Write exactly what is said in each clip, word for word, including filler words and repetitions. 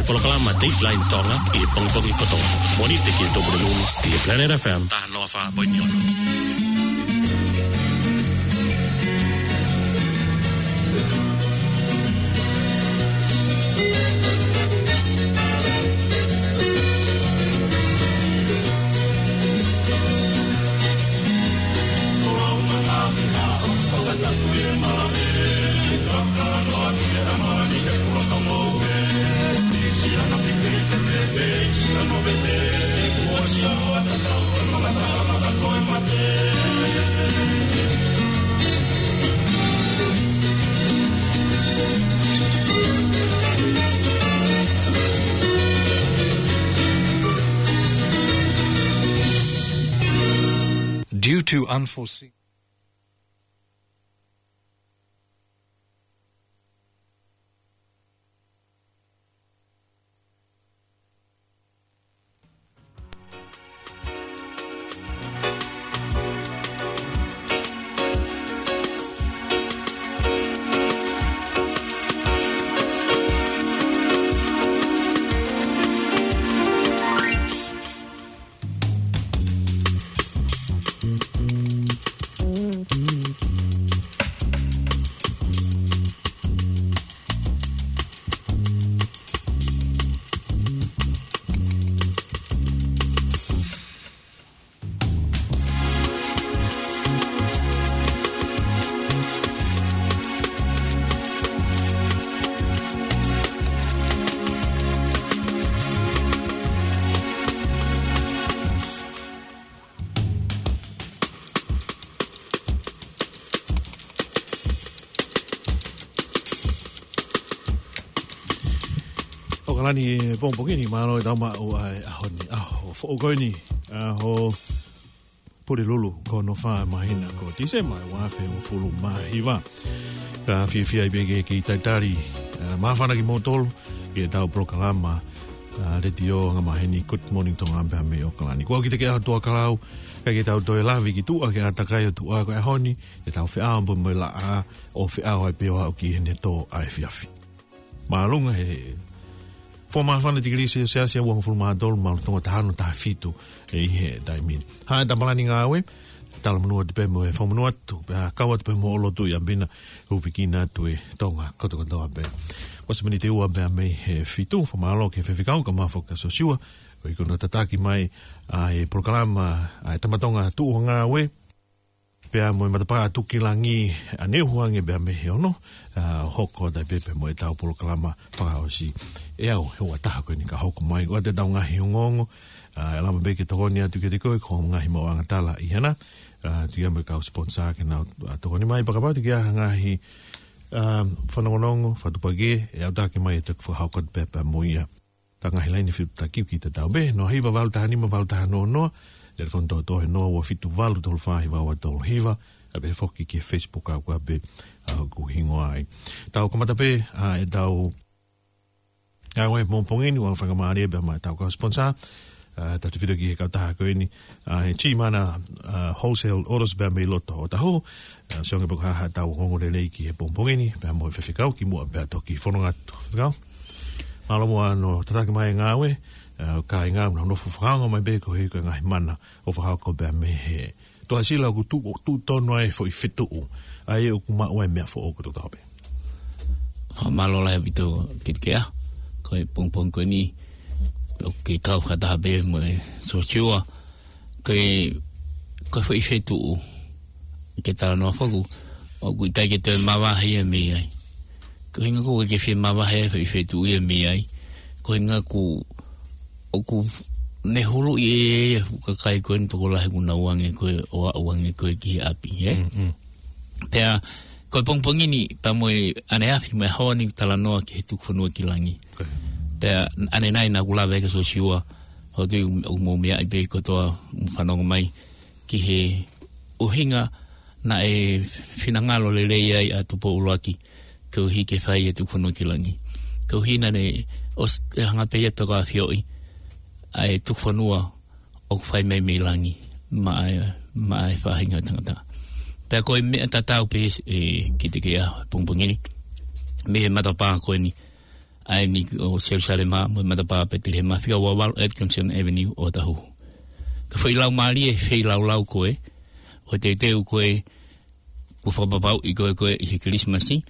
Polokalama Dateline Tonga ʻi he pongipongi kotoa. Mōnite ki he Tuʻapulelulu ʻi he Planet F M taha noa fā poini ono. Due to unforeseen ʻOkalani, pongipongi ni, mālō e tau maʻu ʻa e ʻaho ni, ʻaho foʻou ko eni, ʻaho Pulelulu, ko hono fā māhina ko Tīsema, ua afe hongofulu mā hiva. Ka fiefia ai pē ke, ke talitali, ā, māfana kimoutolu ki heʻetau polokalama, ā, letiō anga maheni Good Morning Tonga pea mei ʻOkalani. Ko au Kitekeʻa Tuʻakalau, kae ke tau toe lave ki tuʻa ki he ʻātakai ʻo tuʻa ko e ʻaho ni, ʻetau feʻao pē mo e laʻā, ʻo feʻao ai pē ʻo aʻu ki heʻene tō ʻa e efiafi. Mālō e fā māfana tikilī selesiasi, ua hongofulu mā tolu, mālō Tonga taha ono taha fitu ʻi he taimi ni. Hā e tapalani ngāue, talamonū atu pē mo e fakamonū atu, pea kau atu pē mo e lotu ʻi ʻapi na, hūfekina atu e Tonga kotokotoa pē. Ko e miniti ua pē mei he fitu, fakamālō ki he faifekau, kae ʻumaʻā foki ʻa Sosiua, koeʻuhi ko hono tataki mai ʻa e polokalama, ʻa e Tama Tonga Tuʻu ʻo Ngāue, pea mo e matapā Tuʻukilangi ʻaneuhu ange pē mei he ono, ā, hoko atu ai pē pea mo ʻetau polokalama fakaʻosi. ʻE au, he ua taha ko eni ka hoko mai, ko ʻetau ngaahi ongoongo, ā, ʻe lava pē ke tokoni atu kiate koe, ko e ngaahi maʻuʻanga tala ʻi hena, ā, tuku ia mo e kau sponsor ke nau, ā, tokoni mai, pea kapau ʻe tuku ia ha ngaahi, ā, fanongonongo, fakatuʻupakē, ʻe aʻutaki mai ʻe toki fakahoko atu pē pea mo ia. Ka ngaahi laine fepaki ʻoku tatau pē, noa hiva valu taha nima valu taha noa noa, telefoni tōtō he noa ua fitu valu tolu fā hiva ua tolu hiva, ʻa pē foki ki he Facebook ʻa ʻoku ʻa pē, ā, ʻoku hingoa ai. Tau kamata pē, ā, ʻetau ngāue pongipongi ni, ʻoku fakamālō pē maʻa ʻetau kau sponsor, ā, tautefito ki he kautaha ko eni, ā, he Chimana, ā, Wholesale Autos pea mei loto ʻo Tahu, ā, sio ange pē ko e hā haʻatau ongoongo lelei ki he pongipongi ni, pea mo e faifekau kimuʻa pea toki fononga atu. Faifekau? Mālō muʻa hono tataki mai e ngāue, ā, kāinga, nofo fakaongo mai pē koeʻuhi ko e ngaahi mana ʻoku fakahoko pē mei he Tuʻasila ʻoku tuʻu, tuʻu tonu ai e foʻi fetuʻu. ʻA ia ʻoku maʻu ai e meʻa foʻou kotoa pē. Fakamālō lahi ʻaupito Kitekeʻa. Ko e pongipongi ko eni, ʻoku kei kau fakataha pē mo e Sosiua. Ko e, ko e foʻi fetuʻu. Ke talanoa foki, ʻoku ʻikai ke toe mavahe ia mei ai. Ko e ʻuhinga ʻoku ʻikai ke fie mavahe ai e foʻi fetuʻu ia mei ai. Ko e ʻuhinga ʻoku, ʻoku ne huluʻi ʻe ia e fuʻu kakai ko eni tokolahi ʻoku nau ō ange ko ē ʻo aʻu ange ko ē ki he ʻapi, ē? Mm, mm. Pea, ko e pongipongi ni, pea mo e ʻaneafi mo e ʻaho ni talanoa ki he tuku fonua ki langi. Ko ia. Pea, ʻanenai naʻa ku lave ki ai kia Sosiua, ʻoku ou tui ʻoku mou meaʻi pē kotoa, mou fanongo mai ki he ʻuhinga naʻe finangalo lelei ai ʻa Tupou ʻUluaki, koeʻuhi ke fai e tuku fonua ki langi. Koeʻuhi naʻa ne ʻosi, ʻe hanga pē ia ʻo toka ʻafioʻi ʻa e tuku fonua ʻoku fai mai mei langi, maʻa e, maʻa e faʻahinga ʻo e tangata. Pea ko e meʻa tatau pē, ē, Kitekeʻa, pongipongi ni, mei he matapā ko eni, ʻa eni ʻo Selusalema mo e matapā Petelihema, fika ua valu Atkinson Avenue ʻOtahuhu. Ko e foʻi laumālie feilaulau ko ē, ʻo teuteu ko ē, kuo fakapapauʻi ko ē ko ē ʻi he Kilisimasi.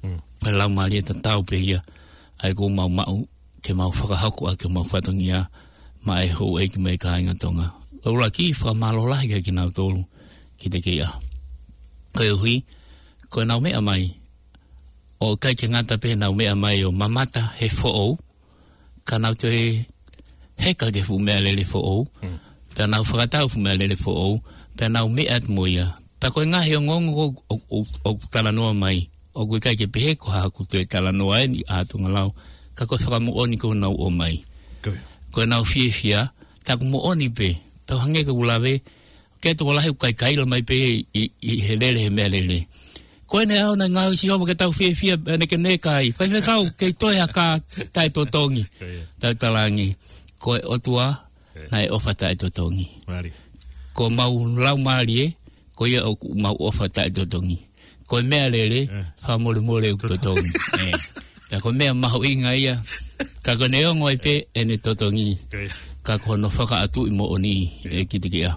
Mm. Ko e laumālie tatau pē ia ʻa ia ʻoku mau maʻu ke mau fakahoko ʻaki homau fatongia maʻa e houʻeiki mo e kāinga Tonga. ʻUluaki, fakamālō lahi kiate kinautolu ki he kei ʻaho. Koeʻuhi, ko ʻenau meʻa mai, ʻoku ʻikai ke ngata pē ʻenau meʻa mai ʻo mamata he foʻou, ka nau toe heka ki he fuʻu meʻalele foʻou, Mm. pea nau fakatau fuʻu meʻalele foʻou, pea nau meʻa atu mo ia. Pea ko e ngaahi ongoongo ʻoku, ʻoku, ʻoku, ʻoku talanoa mai, ʻoku ʻikai ke pehē ko haʻaku toe talanoa eni ʻa Tonga Lao, ka ko e fakamoʻoni ʻoku nau ʻomai. Ko ia. Ko ʻenau fiefia, tā ʻoku moʻoni pē, tau hangē ko ʻeku lave, ke tokolahi ʻoku kaikaila mai pē ʻi, ʻi he lele he meʻalele. Ko eni ʻa e ʻaho naʻe ngāue ʻa Sihova ke tau fiefia, ʻene ke ne kai. Faifekau, kei toe ha kā taʻetotongi. Ko ia. Tau talaange, ko e ʻOtua, Ko ia. naʻe ʻofa taʻetotongi. Mālie. Ko homau laumālie, ko ia ʻoku mau ʻofa taʻetotongi. Ko e meʻalele, Eh. fakamolemole ʻoku Totongi. totongi. Eh. Ka ko e meʻa mahuʻinga ia, ka ko ʻene ongo ai pē ʻene totongi. Ko ia. Ka ko hono fakaʻatuʻi moʻoni Ko ia. ʻe kitakiʻa.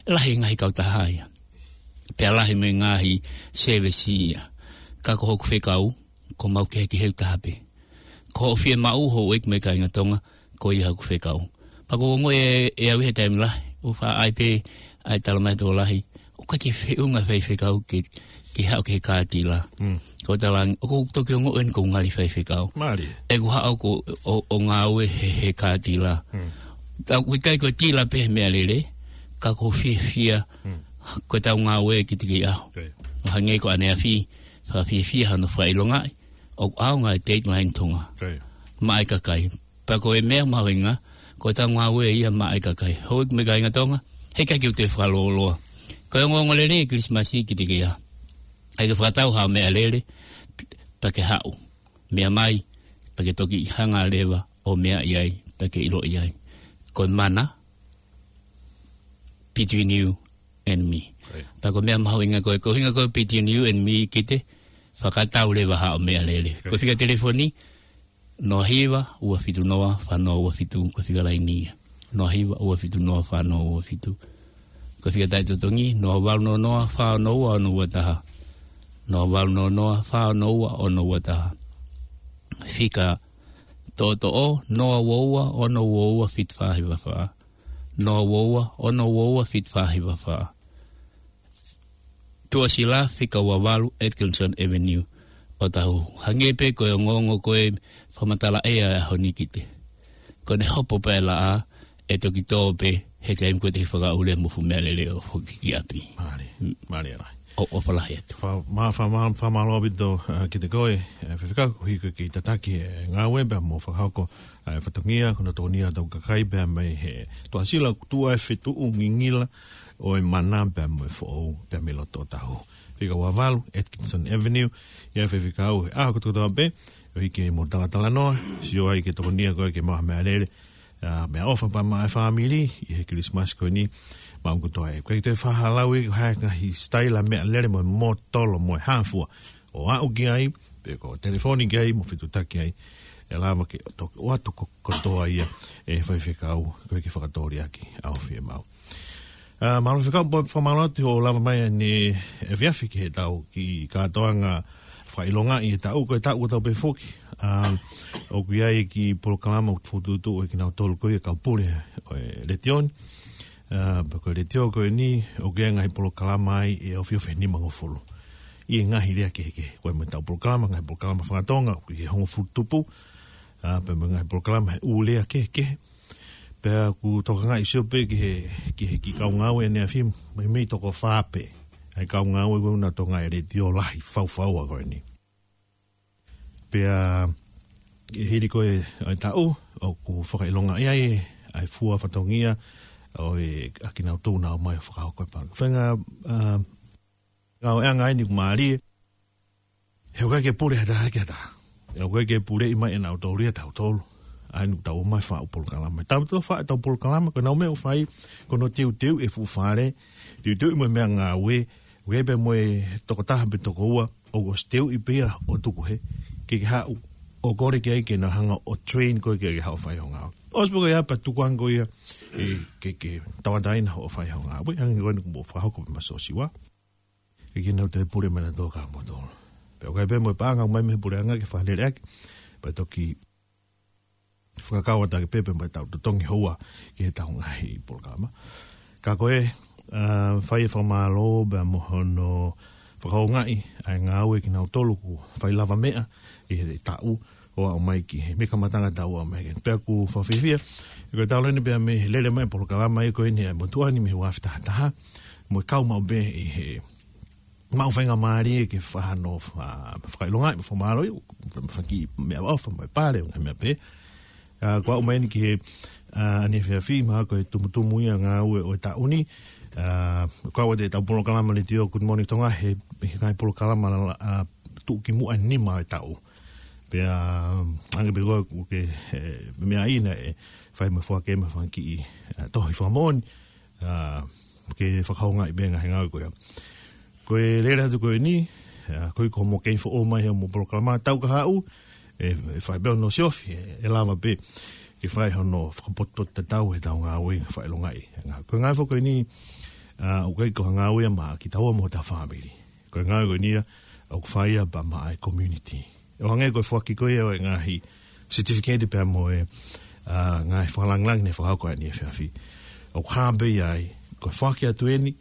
Lahi e ngaahi kautaha ia. Pea lahi mo e ngaahi sēvesi ia. Ka ko hoku fekau, ko mau kehekehe ʻo taha pē. Ko hoʻo fiemaʻu houʻeiki mo e kāinga Tonga, ko ia hoku fekau. Pea ʻoku ou ongoʻi ʻe, ʻe au ʻi he taimi lahi, ʻoku faʻa ʻai pē ʻa e tala mai tokolahi, ʻoku ʻikai ke feʻunga faifekau ke, ke haʻu ki he kātila. Mm. Ko e talaange, ʻoku ou toki ongoʻi eni ʻoku ou ngali faifekau. Mālie. ʻOku ou haʻu ʻo, ʻo, ʻo ngāue he, he kātila. Mm. Tau ʻikai ko e tila pē he meʻalele, ka ʻoku ou fiefia, Mm. ko ʻetau ngāue kitakiʻa. Ko ia. ʻO hangē ko ʻaneafi, fakafiefia hono fakaʻilongaʻi, ʻoku ʻaonga e Dateline Tonga. Ko ia. Maʻa e kakai. Pea ko e meʻa mahuʻinga, ko ʻetau ngāue ia maʻa e kakai. Houʻeiki mo e kāinga Tonga, heʻikai ke u toe fakalōloa. Ko e ongoongolelei e Kilisimasi kitakiʻa. ʻIkai ke fakatau ha meʻalele, pea ke haʻu. Meʻa mai, pea ke toki hanga leva ʻo meʻa ʻi ai, pea ke ʻilo ʻi ai. Ko e mana, between you and me. Ko ia. Pea ko e meʻa mahuʻinga ko e, ko e ʻuhinga ko e between you and me kite, fakatau leva haʻo meʻalele. Ko ia. Ko e fika telefoni, noa hiva, ua fitu noa, fā noa ua fitu, ko e fika laini ia. Noa hiva, ua fitu noa, fā noa ua fitu. Ko e fika taʻetotongi, noa valu noa noa, fā ono ua, ono ua taha. Noa valu noa noa, fā ono ua, ono ua taha. Fika toʻotoʻo, noa ua ua, ono ua ua, fitu fā hiva fā. Noa ua ua, ono ua ua, fitu fā hiva fā. Tuʻasila, fika ua valu Atkinson Avenue, ʻOtahuhu. Hangē pē ko e ongoongo ko e fakamatala ʻea ʻa e ʻaho ni kite. Ko ʻene hopo pē ʻa e laʻā, ʻe toki tō pē, he taimi ko ē te ke fakaʻuli mo e fuʻu meʻalele ʻo foki ki ʻapi. Mālie, Mm. mālie lahi. ʻO, ʻofa lahi atu. Fa-, ma-, fa-, ma-, fakamālō ʻaupito, uh, kiate koe, uh, faifekau, koeʻuhi ko e kei tataki e ngāue pea mo fakahoko, uh, fatongia, ko hono tokonia ʻetau kakai pea mei he Tuʻasila ʻoku tuʻu ai e fetuʻu ngingila ʻo e mana pea mo e foʻou pea mei loto ʻOtahuhu. Fika ua valu, Atkinson Avenue, ʻi ai e faifekau he ʻaho kotokotoa pē, ʻo hiki mo talatalanoa, sio ai ki he tokonia ko ē ke maʻu ha meʻalele, ʻa, meʻaʻofa pea maʻa e fāmili, ʻi he Kilisimasi ko eni, maʻu kotoa ē. Ko e toe fakalauʻi, ko e hā e ngaahi sitaila meʻalele mo e mōtolo mo e hā fua. ʻO aʻu ki ai, pe ko e telefoni ki ai, mo fetuʻutaki ai, ʻe lava ke toki ʻoatu ko-, kotoa ia, ʻe faifekau, ko e ke fakatōliʻaki, ʻa e fiemaʻu. ʻA, mālō faifekau, pea fakamālō atu hoʻo lava mai ʻanenai efiafi ki heʻetau kiʻi kātoanga fakaʻilongaʻi e taʻu, ko e taʻu ʻoku tau pehē foki. ʻA, ʻoku ʻi ai e kiʻi polokalama ʻoku fokotuʻutuʻu ʻe kinautolu ko ia kau pule ʻo e letiō ni. ʻA, pea ko e letiō ko eni, ʻoku ʻi ai e ngaahi polokalama ai ʻe ofiofi he nima ngofulu. ʻI he ngaahi lea kehekehe. Ko e meʻa ʻetau polokalama, ngaahi polokalama faka-Tonga, ʻoku ʻi he hongofulu tupu. ʻA, pea mo e ngaahi polokalama he ʻū lea kehekehe. Pea ʻoku tokangaʻi sio pē ki he, ki he kiʻi kau ngāue ʻaneafi, meimei toko fā pē. ʻA e kau ngāue ko ē naʻa nau tokangaʻi e letiō lahi faufaua ko eni. Pea, ʻi he hili ko ē ʻo e taʻu, ʻoku fakaʻilongaʻi ai, ʻa e fua fatongia, ʻo e, ʻa kinautolu naʻa nau ō mai ʻo fakahoko e pā. Faʻahinga, ʻa, ngāueʻanga eni ʻoku mālie, he ʻoku ʻikai ke pule ha taha ki ha taha. He ʻoku ʻikai ke puleʻi mai ʻe nautolu ia tautolu. ʻA eni ʻoku tau ō mai ʻo fai e polokalama. Tau tau fai ʻetau polokalama, ko ʻenau meʻa ʻoku fai, ko hono teuteuʻi e fuʻu fale, teuteuʻi mo e meʻangāue, ʻoku ʻi ai pē mo e tokotaha pe toko ua, ʻoku ʻosi teuʻi pē ia ʻo tuku hē, ke ke haʻu, ʻo kole ki ai ke na hanga ʻo train koe ke, ke haʻu ʻo fai hoʻo ngāue. ʻOsi pē ko ia pea tuku ange ko ia, ʻe, ke, ke tauʻatāina hoʻo fai hoʻo ngāue. Hangē ko eni kuo mou fakahoko pē maʻa Sosiua. ʻE kinautolu e pule mena tō ka moto. Pea ʻoku ʻi ai pē mo e paʻanga ʻoku ʻomai mei he puleʻanga ke fakalele ʻaki. Pea toki fakakau atu ʻaki pē pea mo ʻetau totongi houa ki heʻetau ngaahi polokalama. Ka ko e, ʻa, fai e fakamālō pea mo hono fakahoungaʻi ʻa e ngāue kinautolu kuo fai lavameʻa ʻi he taʻu ʻo aʻu mai ki he, mei he kamataʻanga taʻu ʻo aʻu mai ki he. Pea ʻoku fakafiefia, ʻi he ko e talu eni pea mei he lele mai e polokalama ʻi he ko eni ʻa e motuʻa ni mei he ua afe taha taha, mo e kau maʻu pē ʻi he maʻu faingamālie ke fakahā hono fa-, fakaʻilongaʻi mo fakamālō, faki meʻaʻofa mo e pale, ngaahi meʻa pehē. ʻA, kuo aʻu mai eni ki he, ʻa, ʻanefiafi, mahalo ko e tumutumu ia ngāue ʻo e taʻu ni. ʻA, ko ʻetau polokalama letiō Good Morning Tonga he, he ngaahi polokalama la-, ʻa, tuʻukimuʻa nima ʻo e taʻu. Pea, ʻa, hangē pē ko e, ko e, ʻe, meʻa ʻi he, ʻe, fai mo e foaki mo e fanga kiʻi, ʻa, tohi fakamoʻoni, ʻa, ke fakahoungaʻi pē ngaahi ngāue ko ia. Ko e lele atu ko eni, ʻa, ko e ko mo kei foʻou mai he mo polokalama tau ka haʻu, ʻe, ʻe fai pē hono siofi, ʻe, ʻe lava pē ke fai hono fakapotopoto tatau heʻetau ngāue fakaʻilongaʻi. Ngā-, ko e ngāue foki ko eni, ʻa, ʻoku ʻikai ko ha ngāue ia maʻa kitaua mo hotau fāmili. Ko e ngāue ko eni ia, ʻoku fai ia pea maʻa e community. ʻO hangē ko e foaki ko ia ʻo e ngaahi certificate pea mo e, ʻa, ngaahi fakalāngilangi ne fakahoko ʻanefiafi. ʻOku hā pē ia ai, ko e foaki atu eni,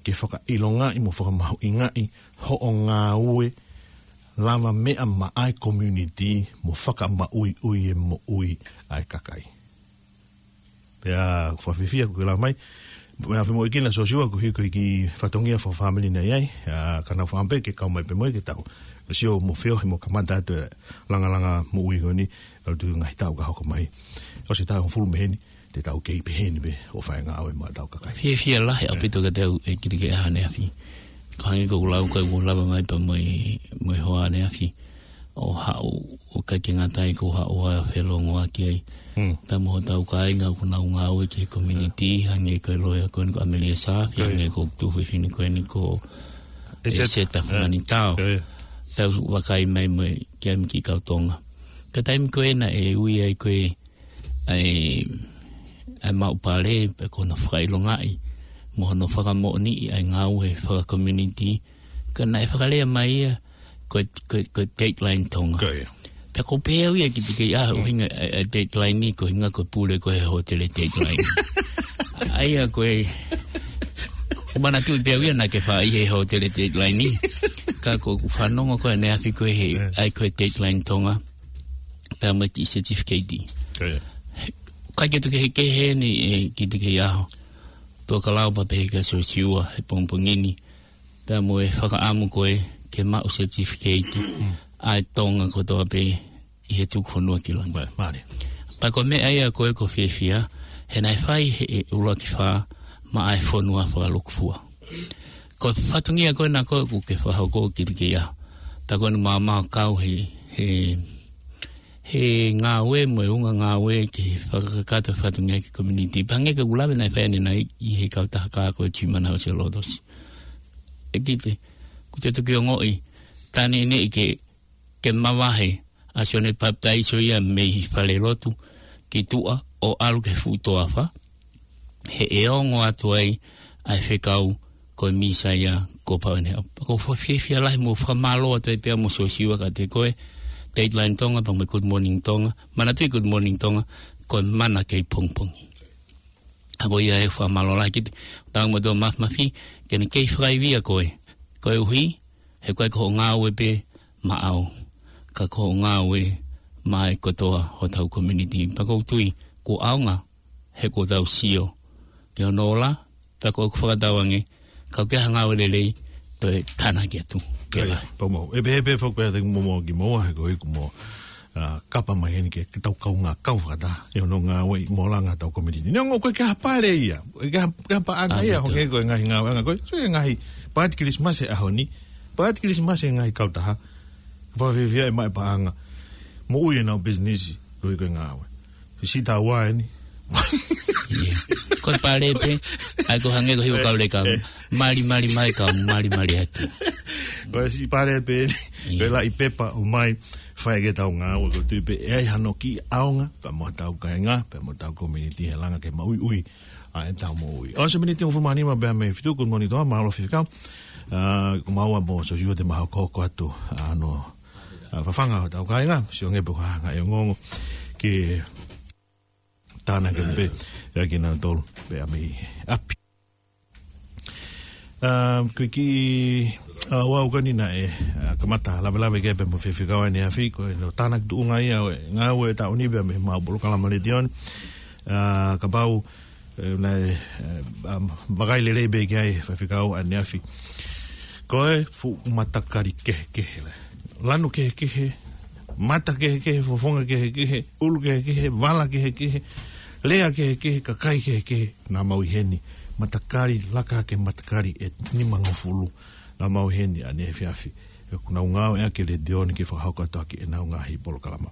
ke fakaʻilongaʻi mo fakamahuʻingaʻi hoʻo ngāue lavameʻa maʻa e community mo fakamaʻuiʻui e moʻui ʻa e kakai. Pea fakafiefia kuo ke lava mai. Pea fai mo e kina Sosiua ko e hiko e kiʻi fatongia fakafāmili naʻe ʻi ai. ʻA, ka naʻa faʻa pē ke kau mai pē mo ia ke tau sio mo feohi mo kamata atu e langalanga moʻui ko eni. ʻAlu atu ngaahi taʻu ka hoko mai. ʻOsi e taʻu hongofulu mei heni, te tau kei pehē ni pē ʻo fai e ngāue maʻa hotau kakai. Fiefia lahi ʻaupito kiate au ʻe Kitikeʻaho ʻaneafi. Ka hangē ko ʻeku lau ka ʻoku lava mai pea mo e, mo e hoa ʻaneafi. ʻO haʻu, ʻo ʻikai ke ngata ai ko e haʻu ʻo felongoaki ai. Mm. Pea mo hotau kāinga ʻoku nau ngāue ki he community, hangē ko e loea ko eni ko ʻAmelia Saafi, Ko ia. hangē ko e tuofefine ko eni ko ʻEseta. ʻEseta Fulanitao. Ko ia. Pea u vakai mai mo e kiʻi ʻami kiʻi kau Tonga. Ka taimi ko ena ʻe ui ai ko e ʻa e, ʻa e maʻu pale, pe ko hono fakaʻilongaʻi, mo hono fakamoʻoniʻi ʻa e ngāue faka-community, ka naʻe fakalea mai ia, ko e, ko e, ko e Dateline Tonga. Ko ia. Pea ʻoku ou pehē au ia Kitikeʻaho, Mm. ʻuhinga ʻa e, ʻa e Dateline ni, ko e ʻuhinga ko e pule ko ē he hōtele Dateline. ʻA ia ko e, ʻoku ou manatuʻi pē au ia naʻa ke faʻa ʻi he hōtele Dateline ni. Ka ʻoku ou fanongo ko ē ʻaneafi ko ē he, Yeah. ʻa e ko e Dateline Tonga. Pea mo e kiʻi certificate. Ko ia. He, ʻikai ke toe kehekehe eni ʻe Kitikeʻaho. Tō ka lau pea pehē kia Sosiua he pongipongi ni. Pea mo e fakaʻamu ko ē ke maʻu certificate Mm. ʻa e Tonga kotoa pē ʻi he tuku fonua ki langi. Mālie. Pea ko e meʻa ia ko ē ʻoku ou fiefia, he naʻe fai he ʻuluaki fā maʻa e fonua fakalukufua. Ko e fatongia ko ena ko ē ʻoku ke fakahoko Kitikeʻaho. Pea ko eni maʻa maʻa kau he, he, he ngāue mo e ʻulungaanga ngāue ke fakakakato fatongia ki he community. Pea hangē ko ʻeku lave naʻe fai ʻanenai ʻi he kautaha kā ko e Tuʻi Manavahē Lotosi. ʻE Kite, ʻoku te toki ongoʻi, tā neʻineʻi ke, ke mavahe ʻa Sione Papitaiso ia mei he fale lotu ki tuʻa ʻo ʻalu ki he fuʻu toafa. He ʻe ongo atu ai ʻa e fekau ko e Mīsaia kuo pau ʻene haʻu. ʻOku ou fiefia lahi mo fakamālō atu ai pea mo Sosiua kiate koe, Dateline Tonga, pea mo e Good Morning Tonga, manatuʻi Good Morning Tonga, ko e mana kei pongipongi. ʻA ko ia ʻe fakamālō lahi Kite, tau mo tō mafimafi, ke ne kei fakaivia koe, koeʻuhi, he ʻoku ʻikai ko hoʻo ngāue pē maʻau, ka ko hoʻo ngāue maʻa e kotoa hotau community. Pea ʻoku ou tui, kuo ʻaonga, he kuo tau sio ki hono ola, pea ʻoku ou fakatauange, ka ʻoku ʻi ai ha ngāue lelei, toe tānaki atu. Ke Ko ia, lahi. Pau mau. ʻE pehē pē foki pē ʻa e momo ki moa, he ko e ʻuhi kuo mo, ʻa, kapa mai eni ke, ke tau kaungā kau fakataha ʻi hono ngāue ʻi he moʻunga ʻetau community. Neongo ʻoku ʻikai ke ha pale ia, ʻikai ke ha, ke ha paʻanga ia, Āmito. Hangē ko e ngaahi ngāueʻanga ko ē, so e ngaahi pāti Kilisimasi he ʻaho ni, pāti Kilisimasi he ngaahi kautaha, fakafiefia ʻe maʻu e paʻanga, moʻui ʻenau business, ko e ko e ngāue. Siʻi taua eni. Ia. Ko e pale pē, ʻa ia ko e hangē ko e hiva kau leka, Eh, eh. Mali, mali mai kau, mali, mali atu. Ko e siʻi pale pē eni. Pea ʻi pepa ʻomai, fai ke tau ngāue ko tui pē, ʻe ai hano kiʻi ʻaonga, pea mo tau kāinga, pea mo tau community he langa ke maʻuiʻui ʻa ʻetau moʻui. ʻOsi e miniti hongofulu mā nima pea mei he fitu, good morning to all, mālō Faifekau. ʻA, ko maua mo Sosiua te mau hokohoko atu, ʻa, ʻa, fafanga hotau kāinga, sio ange pe ko e hā e ongoongo ke tānaki pē, ʻa, kinautolu, pea mei ʻapi. ʻA, ko e kiʻi, ʻa, ʻoku ou kani naʻe, ʻa, kamata lavelaveʻi pē mo Faifekau ʻaneafi, ko e no tānaki tuʻunga ia ʻo e ngāue ʻa e taʻu ni pea mei heʻemau polokalama letiō ni. ʻA, kapau, ʻe, naʻe, ʻe, ʻa, vakai lelei pē ki ai Faifekau ʻaneafi. Ko e fuʻu matakali kehekehe lā. Lanu kehekehe, mata kehekehe, fofonga kehekehe, ʻulu kehekehe, vala kehekehe, lea kehekehe, kakai kehekehe, naʻa mau ʻi heni. Matakali, laka hake matakali ʻe nimangofulu. Naʻa mau ʻi heni ʻaneefiafi. ʻOku nau ngāueʻaki e letiō ni ke fakahoko atu ʻaki ʻenau ngaahi polokalama.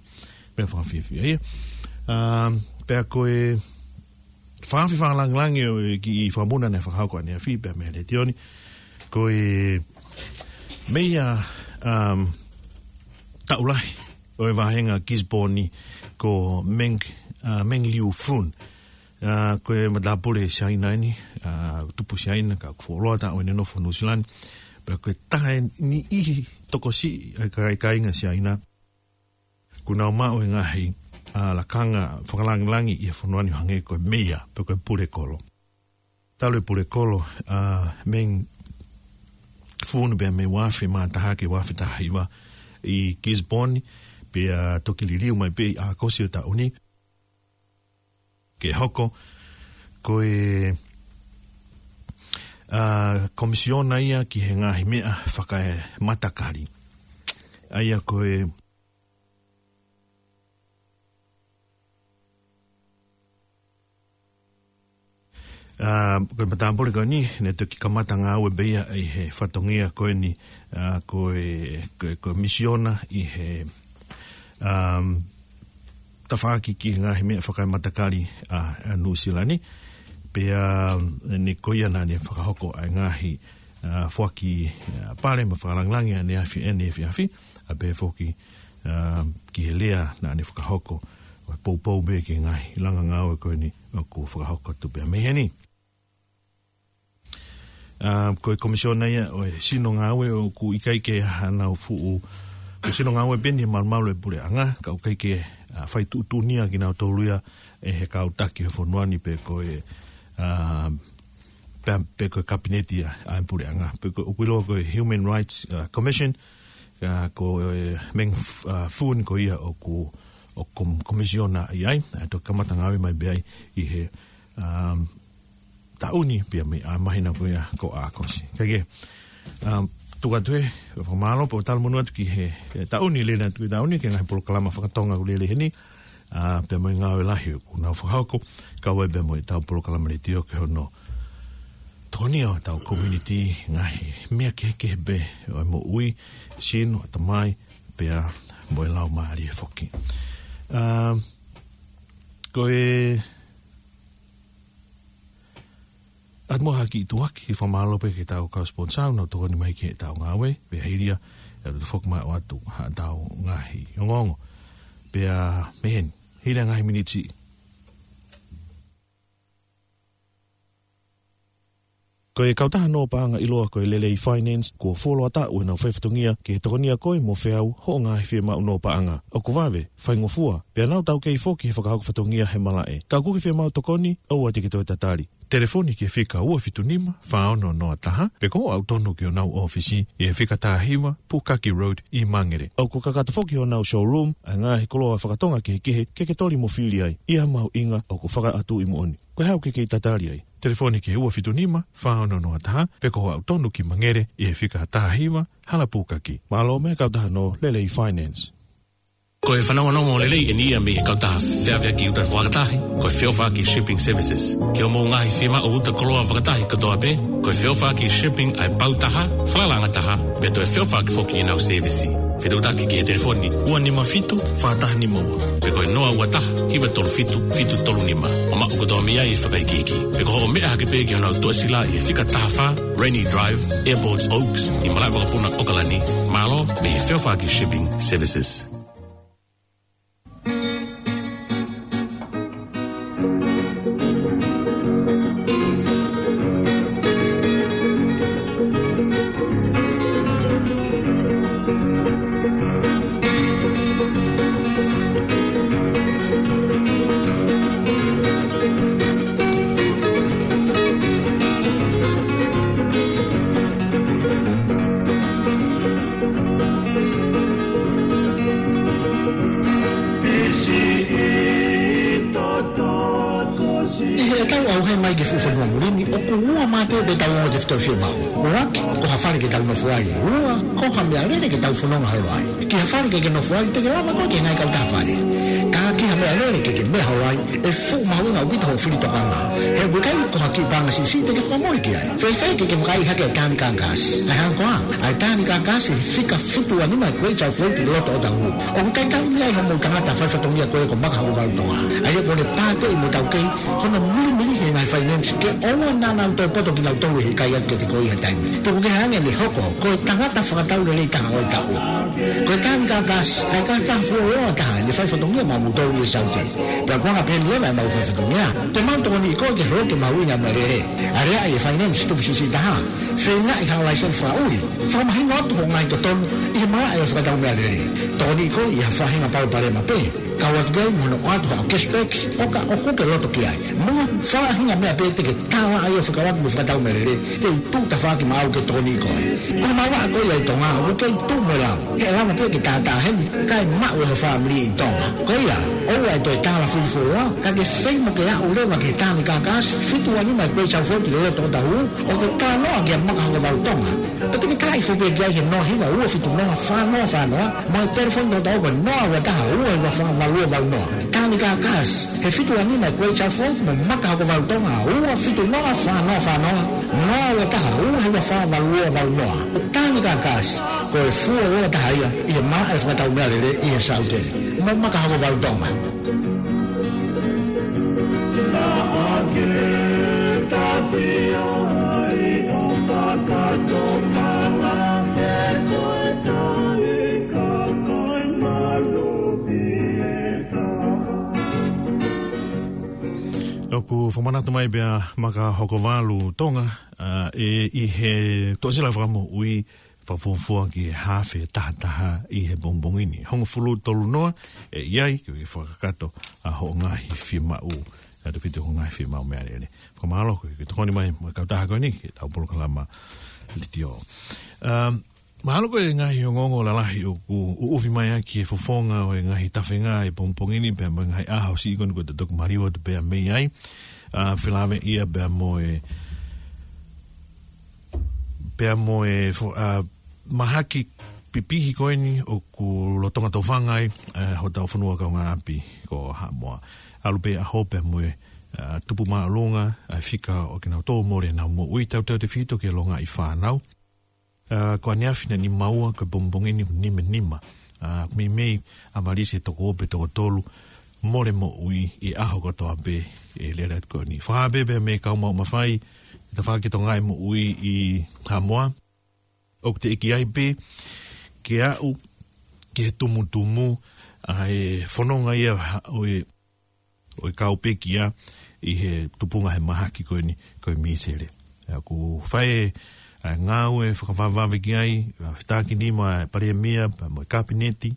Meʻa fakafiefia ia. ʻA, pea ko e fakafi fakalāngilangi ʻo e kiʻi fakamuʻa naʻe fakahoko ʻaneafi pea mei he letiō ni. Ko e meia, um, taʻu lahi ʻo e vāhenga Gisborne ko Meng, ʻa, Meng Liufun. ʻA, ko e matāpule Siaina eni, ʻa, tupu Siaina ka ʻoku fuoloa taʻu ʻene nofo Nuʻusila ni. Pea ko e taha e niʻihi tokosiʻi ʻa e kāinga Siaina. Kuo nau maʻu e ngaahi, ʻa, lakanga fakalāngilangi ʻi he fonua ni hangē ko e meia, pe ko e pulekolo. Talu e pulekolo, ʻa, Meng Fun pea mei he ua afe mā taha ki he ua afe taha hiva ʻi Gisborne, pea toki liliu mai pē ʻi ʻAokosi ʻo e taʻu ni. Ke hoko, ko e, ʻa, komisiona ia ki he ngaahi meʻa fakaematakali. ʻA ia ko e ʻA, ko e matāpule ko eni, naʻe toki kamata ngāue pē ia ʻi he fatongia ko eni, ʻa, ko e, ko e, ko e misiona ʻi he, um, tafaʻaki ki he ngaahi meʻa fakaematakali, ʻa, ʻa Nuʻusila ni. Pea, um, eni ko ia naʻa ne fakahoko ʻa e ngaahi, ʻa, foaki, ʻa, pale mo e fakalāngilangi ʻaneafi, ʻaneefiafi, ʻa pehē foki, ʻa, ki he lea naʻa ne fakahoko, ʻo e poupou pē ki he ngaahi langa ngāue ko eni ʻoku fakahoko atu pea mei heni. ʻA, ko e komisiona ia ʻo e sino ngāue ʻoku ʻikai ke ʻi ai hanau fuʻu, ko e sino ngāue pē eni he malumalu ʻo e puleʻanga, ka ʻoku ʻikai ke, ʻa, fai tuʻutuʻuni ia kinautolu ia ʻe he kau taki ʻo e fonua ni pe ko e, ʻa, pe, pe ko e kapineti ia ʻa e puleʻanga. Pe ko, ʻoku ʻiloa ko e Human Rights, ʻa, Commission, ʻa, ko e Meng F-, ʻa, Fun ko ia ʻoku, ʻoku kom-, komisiona ʻi ai, ʻa, toki kamata ngāue mai pē ia ʻi he, um, taʻu ni pea mei he māhina ko ia ko ʻAokosi. Kae kehe, um, tuku atu ē, fakamālō pea ʻoku tau monū atu ki he, he taʻu ni, lele atu ki he taʻu ni, ki he ngaahi polokalama fakatonga ʻoku lele heni, ʻa, pea mo e ngāue lahi ʻoku nau fakahoko, kau ai pea mo ʻetau polokalama letiō ki hono tokoniʻi ʻetau community, ngaahi meʻa kehekehe pē ʻo e moʻui, sino, ʻatamai, pea mo e laumālie foki. ʻA, ko e ʻAtu mo ha kiʻi tuʻuaki, fakamālō pē ki heʻetau kau sponsor, nau tokoni mai ki heʻetau ngāue, pea hili ia, ʻe ʻatu foki mai ʻo ʻoatu haʻatau ngaahi ongoongo. Pea mei heni, hili ia ngaahi miniti. Ko e kautaha nō paʻanga ʻiloa ko e Lelei Finance, kuo fuoloa taʻu ʻenau faifatongia ke tokonia koe mo feau hoʻo ngaahi fiemaʻu nō paʻanga. ʻOku vave, faingofua, pea nau taukei foki he fakahoko fatongia he malaʻe. Ka ʻoku ke fiemaʻu tokoni, ʻoua te ke toe tatali. Telefoni ki he fika ua fitu nima, fā ono noa taha, pe ko e aʻu tonu ki honau ʻōfisi ʻi he fika taha hiva, Pukaki Road ʻi Mangere. ʻOku kakato foki honau showroom ʻa e ngaahi koloa fakatonga kehekehe ke ke toli mo fili ai, ʻi ha mahuʻinga ʻoku fakaʻatu ʻi moʻoni. Ko e hā ʻoku ke kei tatali ai? Telefoni ki he ua fitu nima, fā ono noa taha, pe ko e aʻu tonu ki Mangere ʻi he fika taha hiva, Hala Pukaki. Mālō mo e kautaha nō Lelei Finance. Ko e fanongonongo lelei ʻeni ia mei he kautaha feʻaveʻaki uta fakatahi, ko e Feʻofaʻaki Shipping Services. Ki hoʻomou ngaahi fiemaʻu uta koloa fakatahi kotoa pē, ko e Feʻofaʻaki Shipping ʻa e pau taha, falalaʻanga taha, pea toe feʻofaʻaki foki ʻenau sēvisi. Fetuʻutaki ki he telefoni ua nima fitu, fā taha nima ua. Pe ko e noa ua taha, hiva tolu fitu, fitu tolu nima. ʻO maʻu kotoa mei ai e fakaikiiki. Pe ko hoʻo meʻa hake pē ki honau tuʻasila ʻi he fika taha fā, Rainy Drive, Airport Oaks, ʻi Malaʻevakapuna, ʻAokalani. Mālō, mei he Feʻofaʻaki Shipping Services. ʻI heʻetau ʻauhē mai ki he fuʻu fonua muli ni, ʻoku ua mā pē ʻetau ongo tefitoʻi fiemaʻu. ʻUluaki, ko ha fale ke tau nofo ai. Ua, ko ha meʻalele ke tau fononga holo ai. Ki ha fale ke ke nofo ai, te ke lava koe ki he ngaahi kautaha fale. Ka ki ha meʻalele ke ke meʻa holo ai, ʻe fuʻu mahuʻinga ʻaupito hoʻo fili tokanga. He ʻoku ʻikai ko ha kiʻi paʻanga siʻisiʻi te ke fakamole ki ai. Fēfē ke ke vakaiʻi hake ʻa e Tānika Gas? ʻA e hā koā? ʻA e Tānika Gas he fika fitu ua nima Great South Road ʻi loto ʻo Otahuhu. ʻOku talitali mei ai hoʻomou tangata faifatongia ko ē ko Maka Hokovalu Tonga. ʻA ia ʻoku ne pāteʻi mo taukei hono milimili he ngaahi finance ke ʻoua naʻa nau toe poto kinautolu he ʻikai atu kiate koe ʻi ha taimi. Tuku kehe ange ʻene hoko ko e tangata fakatau lelei taha ʻo e taʻu. Ko e Tānika Gas, ʻa e kautaha fuoloa taha ʻene faifatongia maʻamoutolu ʻi he Saute. Pea ʻoku anga peheni leva ʻemau faifatongia. Te mau tokoniʻi koe ke holoki e mahuʻinga ʻo e meʻalele. Aleaʻi e finance tupu siʻisiʻi taha. Feʻunga ʻi ha laiseni fakaʻuli. Fakamahino atu hoʻo ngaahi totonu ʻi he malaʻe ʻo e fakatau meʻalele. Tokoniʻi koe ʻi ha faʻahinga palopalema pē. Kau atu ki ai mo hono ʻoatu haʻo cashback, ʻo ka ʻoku ke loto ki ai. Mo ha faʻahinga meʻa pē te ke tala ai ʻo fekauʻaki mo e fakatau meʻalele, te u tuʻu tafaʻaki maʻau ke tokoniʻi koe. Ko e malava ko ia ʻi Tonga, ʻoku kei tuʻu mo e lau. He ʻe lava pē ke tātā heni, kae maʻu ʻe ho fāmili ʻi Tonga. Ko ia, ʻoua ʻe toe tala fili fuoloa, ka ke fai mo ke aʻu leva ki he Tānika Gas, fitu ua nima Great South Road ʻi loto ʻo Otahuhu, ʻo ke talanoa kia Maka Hokovalu Tonga. Pea te ke tala hifo pē ki ai he noa hiva ua fitu noa fā noa fā noa, mo e telefoni toko taha ko e noa ua taha ua hiva fā valu ua valu noa. Tānika Gas, he fitu ua nima Great South Road mo Maka Hokovalu Tonga, ua fitu noa fā noa fā noa, noa ua taha ua hiva fā valu ua valu noa. Tānika Gas, ko e fuoloa taha ia ʻi he malaʻe fakatau meʻalele ʻi he Saute. Mo Maka Hokovalu Tonga. ʻOku fakamanatu mai pē ʻa Maka Hokovalu Tonga, ā, ʻe ʻi he tuʻasila fakamoʻui fakafuofua ki he hafe taha taha ʻi he pongipongi ni. Hongofulu tolu noa, ʻe ʻi ai ke fakakakato ʻa hoʻo ngaahi fiemaʻu, ʻa e tefito hoʻo ngaahi fiemaʻu meʻalele. Fakamālō koe, ke tokoni mai mo e kautaha ko eni, ki heʻetau polokalama letiō. Um, mahalo ko e ngaahi ongoongo lalahi ʻoku ʻuʻufi mai ʻaki e fofonga ʻo e ngaahi tafenga ʻi he pongipongi ni, pea mo e ngaahi ʻaho siʻi ko eni ko e toki maliu atu pea mei ai. Ā, felāveʻi ia pea mo e, pea mo e fo-, ā, mahaki pipihi ko eni ʻoku lolotonga tofanga ai, ā, hotau fonua kaungāʻapi ko Haʻamoa. ʻAlu pē ʻaho pea mo e, ā, tupu māʻolunga ʻa e fika ʻo kinautolu mole ʻenau moʻui, tautautefito ki he longaʻi fānau. Ā, ko ʻaneafi naʻe nima ua, ko e pongipongi ni ʻoku nima nima. Ā, meimei ʻa Malisi ʻe toko ua pe toko tolu mole moʻui ʻi he ʻaho kotoa pē ʻi he lele atu ko eni. Fakapapauʻi pē mei he kau maʻu mafai, ʻi he tafaʻaki tongaʻi moʻui ʻi Haʻamoa, ʻoku teʻeki ai pē ke aʻu ki he tumutumu ʻa e fononga ia ha-, ʻo e ʻo e kau pekia ʻi he tupunga he mahaki ko eni, ko e mīsele. ʻA ia ʻoku fai ʻa e ngāue fakavavevave ki ai, ʻa e fetākinima ʻa e Palēmia, pea mo e Kapineti,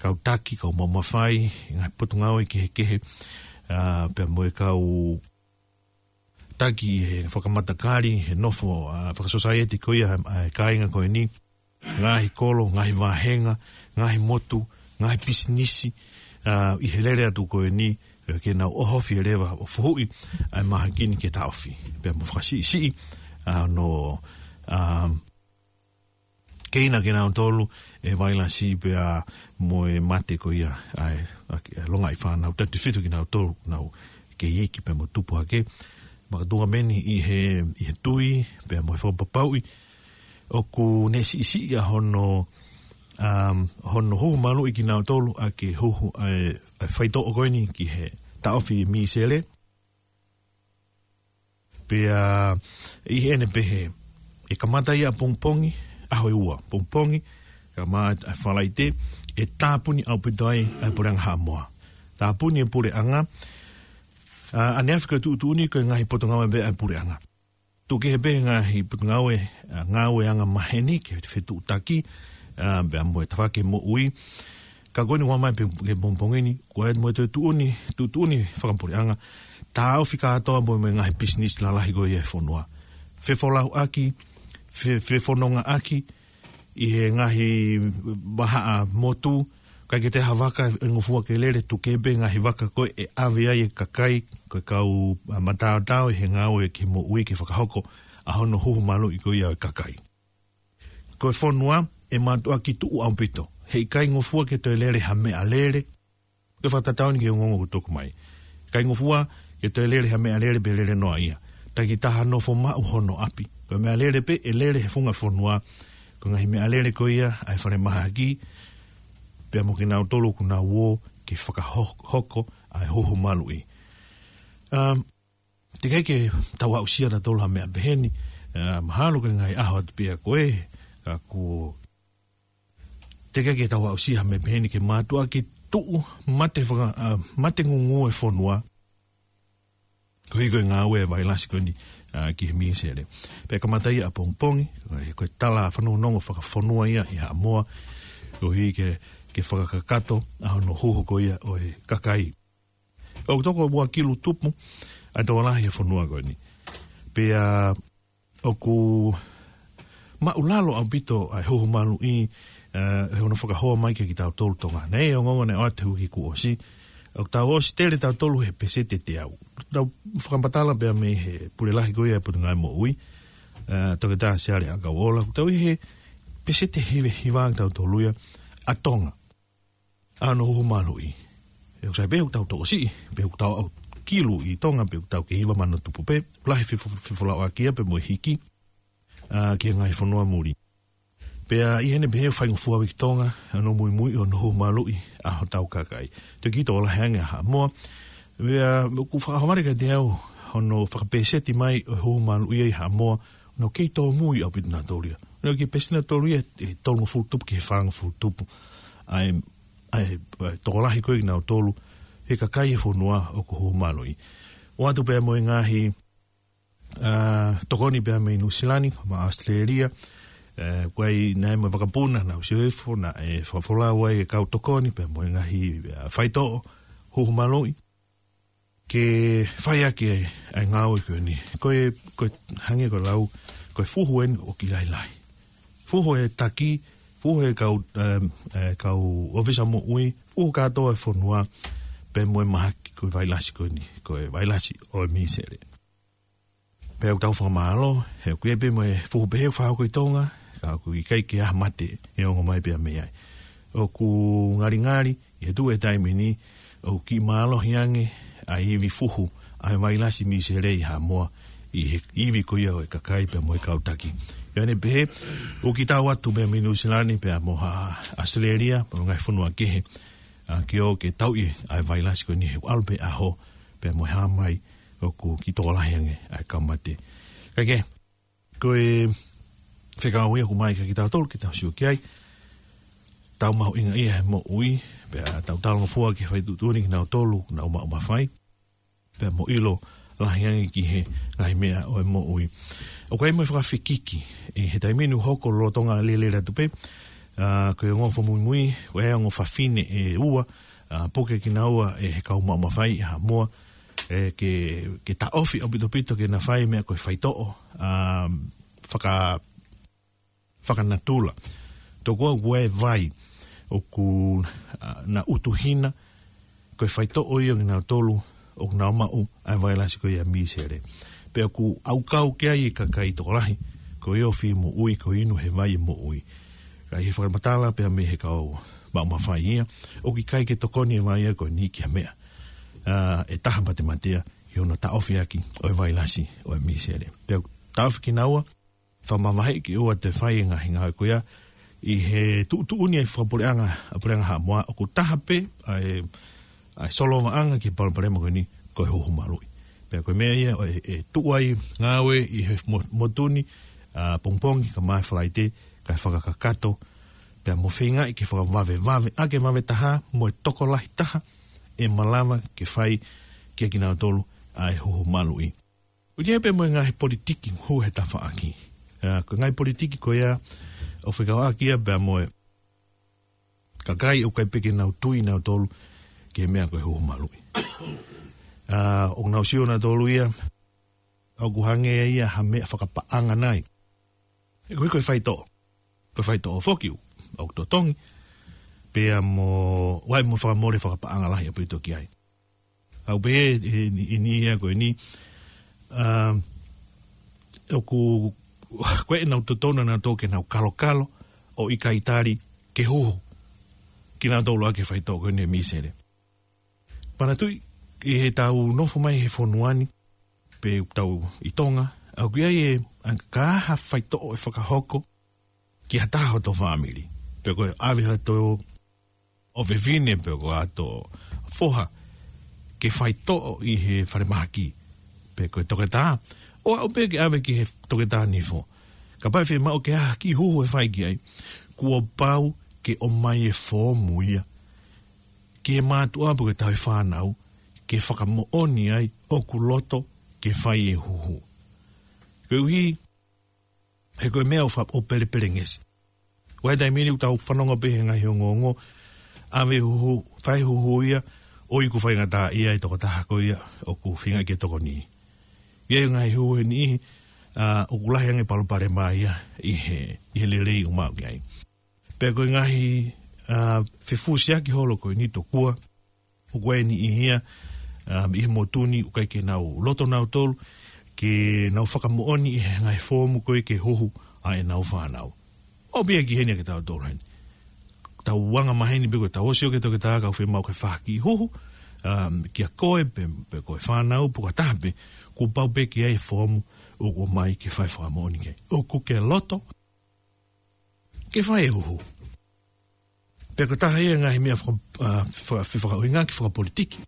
kau taki, kau maʻu mafai, ngaahi potungāue kehekehe, ā, pea mo e kau taki ʻi he fakamatakali, he nofo, ā, fakasosaieti ko ia, ʻa e kāinga ko eni, ngaahi kolo, ngaahi vāhenga, ngaahi motu, ngaahi pisinisi, ā, ʻi he lele atu ko eni, ē, ke nau ʻohofi leva ʻo fuhuʻi ʻa e mahaki ni ke taʻofi. Pea mo fakasiʻisiʻi, ā, hono, ā, keina kinautolu, e vailasi pea mo e mate ko ia ʻa e, ʻa e longaʻi fānau, tautefito kinautolu ʻoku nau kei iiki pea mo tupu hake. Makatuʻunga meni ʻi he, ʻi he tui pea mo e fakapapauʻi ʻoku ne siʻisiʻi ʻa hono, um, hono huhu maluʻi kinautolu ʻa e huhu ʻa e, ʻa e faitoʻo ko eni ki he taʻofi e mīsele. Pea ʻi heʻene pehē, ʻe kamata ia ʻapongipongi, ʻaho ʻe ua, pongipongi, kae ʻumaʻā ʻa e Falaite, ʻe tāpuni ʻaupito ai ʻa e puleʻanga Haʻamoa. Tāpuni e puleʻanga, ʻa, ʻaneafi ko e tuʻutuʻuni ko e ngaahi potungāue pē ʻa e puleʻanga. Tuku kehe pē ngaahi potungāue, ʻa, ngāueʻanga maheni ke fetuʻutaki, ʻa, pea mo e tafaʻaki moʻui. Ka ko eni ʻoku ʻomai pē ke pongipongi ni, ko e mo e toe tuʻutuʻuni, tuʻutuʻuni fakapuleʻanga, taʻofi kātoa mo e ngaahi pisinisi lalahi ko ia e fonua. Fefolauʻaki, fe-, fefonongaʻaki, ʻi he ngaahi vahaʻa motu, ʻikai ke toe ha vaka ʻe ngofua ke lele, tuku kehe pē ngaahi vaka ko ē ʻe ʻave ai e kakai, ko e kau, ʻa, mataotao ʻi he ngāue ki he moʻui ke fakahoko ʻa hono huhu maluʻi ko ia ʻo e kakai. Ko e fonua, ʻe mātuʻaki tuʻu ʻaupito. Heʻikai ngofua ke toe lele ha meʻalele. Ko e fakatatau eni ki he ongoongo ʻoku tuku mai. ʻIkai ngofua ke toe lele ha meʻalele pe lele noa ia. Takitaha nofo maʻu hono ʻapi. Ko e meʻalele pē ʻe lele he funga fonua, ko e ngaahi meʻalele ko ia ʻa e falemahaki, pea mo kinautolu ʻoku nau ō ke fakahoko ʻa e huhu maluʻi. Um, Teʻeki ke tau aʻusia ʻatautolu ha meʻa peheni, ʻa, mahalo ko e ngaahi ʻaho atu pē ia ko ē, ka kuo teʻeki ke tau aʻusia ha meʻa peheni ke mātuʻaki tuʻu mate faka-, ʻa, mate ngūngū e fonua. Koeʻuhi ko e ngāue e vailasi ko eni, ʻa, ki he mīsele. Pea kamata ia ʻapongipongi, ko e, ko e tala fanongonongo fakafonua ia ʻi Haʻamoa, koeʻuhi ke, ke fakakakato ʻa hono huhu ko ia ʻo e kakai. ʻOku toko ua kilu tupu ʻa e tokolahi e fonua ko eni. Pea ʻoku māʻulalo ʻaupito ʻa e huhu maluʻi, ʻa, ʻi hono fakahoa mai kia kitautolu Tonga. Naʻe ongoongo naʻe ʻoatu he uike kuo ʻosi. ʻOku tau ʻosi tele tautolu he peseti ʻe teau. Tau fakamatala pea mei he pule lahi ko ia e Potungāue Moʻui, ʻa, Toketā Siale ʻAkauʻola. ʻOku tau ʻi he peseti hiva, hiva kitautolu ia ʻa Tonga. ʻA hono huhu maluʻi. ʻOku sai pē ʻoku tau tokosiʻi, pe ʻoku tau aʻu kilu ʻi Tonga, pe ʻoku tau kei hiva mano tupu pē, lahi fefo-, fefolauʻaki ia pea mo e hiki, ʻa, ki he ngaahi fonua muli. Pea ʻi heʻene pehē ʻoku faingofua ʻaupito ki Tonga, ʻa hono muimui ʻo hono huhu maluʻi ʻa hotau kakai. Toe kiʻi tokolahi ange ʻa Haʻamoa. Pea ʻoku fakaʻaho vale kiate au, hono fakapeseti mai ʻo e huhu maluʻi ʻa Haʻamoa, ʻoku nau kei tōmui ʻaupito nautolu ia. ʻOku nau kei peseti nautolu ia, ʻe tolungofulu tupu ki he fāngofulu tupu. ʻA e, ʻa e, ʻa e tokolahi ko ē kinautolu, he kakai e fonua ʻoku huhu maluʻi. ʻOatu pea mo e ngaahi, ʻa, tokoni pea mei Nuʻu Sila ni, mo ʻAositelēlia, ʻa, ko e ʻi ai mo e vakapuna, naʻa ku sio hifo, naʻe fakafolau ai e kau tokoni, pea mo e ngaahi, ʻa, faitoʻo, huhu maluʻi. Ke fai ʻaki ʻa e ngāue ko eni. Ko e, ko e hangē ko e lau, ko e fuhu eni ʻoku lahilahi. Fuhu e taki, fuhu e kau, em, e kau ʻōfisa moʻui, fuhu kātoa e fonua, pea mo e mahaki ko e vailasi ko eni, ko e vailasi ʻo e mīsele. Pea ʻoku tau fakamālō, he ʻoku ʻi ai pē mo e fuhu pehē ʻoku fakahoko ʻi Tonga, ka ʻoku ʻikai ke ʻi ai ha mate ʻe ongo mai pea mei ai. ʻOku ngalingali, ʻi he tuʻu e taimi ni, ʻoku kiʻi mālohi ange ʻa e ivi fuhu ʻa e vailasi mīsele ʻi Haʻamoa, ʻi he ivi ko ia ʻo e kakai pea mo e kau taki. Pea ʻi heʻene pehē, ʻoku kiʻi tau atu pea mei Nuʻu Sila ni pea mo ʻAositelēlia, pea mo e ngaahi fonua kehe, ʻa, ke ō ke tauʻi ʻa e vailasi ko eni he ʻalu pē ʻaho, pea mo e hā mai, ʻoku kiʻi tokolahi ange ʻa e kau mate. Kae kehe, ko e fekau ia ʻoku ʻomai kia kitautolu, ke tau sio ki ai. Tau mahuʻingaʻia he moʻui, pea tau talangofua ki he faituʻutuʻuni kinautolu ʻoku nau maʻu mafai. Pea mo ʻilo lahi ange ki he ngaahi meʻa ʻo e moʻui. ʻOku ʻi ai mo e fakafekiki, ʻi he taimi ni ʻoku hoko lolotonga lelei atu pē, ʻa, ko e ongo fakamuimui, ko e ongo fafine ʻe ua, ʻa, puke kinaua ʻe he kau maʻu mafai ʻi Haʻamoa, ʻe ke, ke taʻofi ʻaupito ʻaupito ke na fai meʻa ko e faitoʻo, ʻa, faka-, fakanatula. Tokua ʻoku ʻi ai e vai ʻoku, ʻa, na utuhina, ko e faitoʻo ia ʻo kinautolu ʻoku nau maʻu ʻa e vailasi ko ia mīsele. Pea ʻoku ʻaukau ki ai e kakai tokolahi, ko e ofi moʻui, ko e inu he vai moʻui. Ka ʻi he fakamatala pea mei he kau maʻu mafai ia, ʻoku ʻikai ke tokoni e vai ia ko eni ki ha meʻa, ʻa, ʻe taha matematea ʻi hono taʻofi ʻaki ʻo e vailasi ʻo e misele. Pea taʻofi kinaua, fakamavaheʻi kinaua ke fai e ngaahi ngāue ko ia ʻi he tuʻutuʻuni ʻa e fakapuleʻanga, ʻa e puleʻanga Haʻamoa, ʻoku taha pē ʻa e, ʻa e solovaʻanga ki he palopalema ko eni ko e huhu maluʻi. Pea ko e meʻa ia ʻe, ʻe tuʻu ai ngāue ʻi he mo-, motu ni, ʻa, pongipongi, ka mai Falaite, kae fakakakato, pea mo feingaʻi ke fakavavevave, ʻa, ke vave taha mo e tokolahi taha ʻe malava ke fai kia kinautolu ʻa e huhu maluʻi. ʻOku ʻi ai pē mo e ngaahi politiki hū he tafaʻaki. ʻA, ko e ngaahi politiki ko ia ʻoku fekauʻaki ia pea mo e kakai ʻoku ʻikai pē ke nau tui nautolu ki he meʻa ko e huhu maluʻi. ʻA, ʻoku nau sio nautolu ia ʻoku hangē ia ha meʻa fakapaʻanga nai. ʻE ko e, ko e faitoʻo. Ko e faitoʻo foki ʻoku totongi. Pea mo, ʻoku ʻi ai mo e fakamole fakapaʻanga lahi ʻaupito ki ai. ʻOku pehē ʻe, ʻe, ʻe niʻihi ia ko eni, ʻa, ʻoku, ko ʻenau totonu nautolu ke nau kalokalo ʻo ʻikai tali ke huhu kinautolu ʻaki e faitoʻo ko eni e misele. Manatuʻi, ʻi heʻetau nofo mai he fonua ni, pe ʻoku tau ʻi Tonga, ʻoku ʻi ai e, ʻa, ka ha faitoʻo ʻe fakahoko ki ha taha hoto fāmili. Pe ko e ʻave hato ʻofefine pe ko hato foha ke faitoʻo ʻi he falemahaki. Pe ko e toketā, ʻo aʻu pē ke ʻave ki he toketā nifo. Kapau ʻe fiemaʻu ke ʻi ai ha kiʻi huhu ʻe fai ki ai, kuo pau ke ʻomai e foomu ia ki he mātuʻa pe ko e tauhi fānau, ke fakamoʻoni ai ʻoku loto ke fai e huhu. Koeʻuhi, he ko e meʻa ʻoku fa-, ʻoku pelepelengesi. ʻOku ʻi ai e taimi ni ʻoku tau fanongo pē he ngaahi ongoongo, ʻave huhu, fai huhu ia, ʻoku faingataʻaʻia e tokotaha ko ia ʻoku feinga ke tokoni. ʻI ai e ngaahi huhu ʻe niʻihi, ʻa, ʻoku lahi ange e palopalema ia ʻi he, ʻi he lelei ʻoku maʻu ki ai. Pea ko e ngaahi, ʻa, fefusiaki holo ko eni tokua, ʻoku ʻi ai e niʻihi ia, ʻa, ʻi he motu ni ʻoku ʻikai ke nau loto nautolu ke nau fakamoʻoni ʻi he ngaahi foomu ko ē ke huhu ʻa ʻenau fānau. ʻOku pehē ki heni ʻa kitautolu heni. Tau anga maheni pe ko ʻetau ʻosi ʻo ke toketā ka ʻoku fiemaʻu ke fai ha kiʻi huhu, ʻa, kia koe pe, pe ko e fānau pe ko ha taha pē, kuo pau pē ke ʻi ai e foomu ʻoku ʻomai ke fai fakamoʻoni ki ai. ʻOku ke loto ke fai e huhu. Pea ko e taha ia e ngaahi meʻa faka-, ʻa, faka-, fefakaʻuhinga ki fakapolitiki.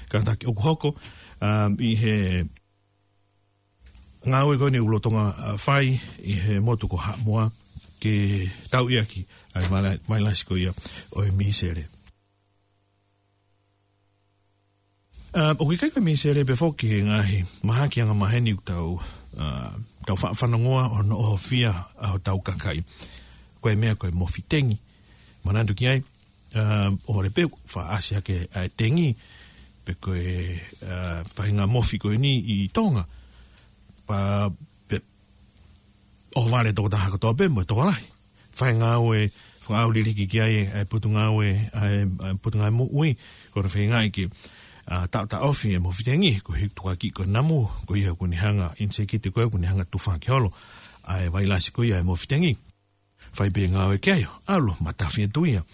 Kātaki ʻoku hoko, ʻa, ʻi he ngāue ko eni ʻoku lolotonga, ʻa, fai ʻi he motu ko Haʻamoa ke tauʻi ʻaki ʻa e vaila-, vailasi ko ia ʻo e misele. ʻA, ʻoku ʻikai ko e misele pē foki he ngaahi mahaki anga maheni ʻoku tau, ʻa, tau fa-, fanongoa ʻo noʻo hofia ʻa hotau kakai. Ko e meʻa ko e mofi tengi. Manatu ki ai, ʻa, ʻohovale pē faʻa ʻasi hake ʻa e tengi, pe ko e, ʻa, faʻahinga mofi ko eni ʻi Tonga. Pea, pe, ʻohovale tokotaha kotoa pē mo e tokolahi. Fai ngāue, fakaʻau liliki ki ai ʻa e potungāue, ʻa e, ʻa e potungāue moʻui, ko hono feingaʻi ke, ʻa, taʻotaʻofi e mofi tengi, koeʻuhi tukuakiʻi ko e namu, ko ia ʻoku ne hanga, ʻinisēkiti ko ia ʻoku ne hanga tufa ki holo ʻa e vailasi ko ia e mofi tengi. Fai pē ngāue ki ai, ʻalu, matafi atu ia.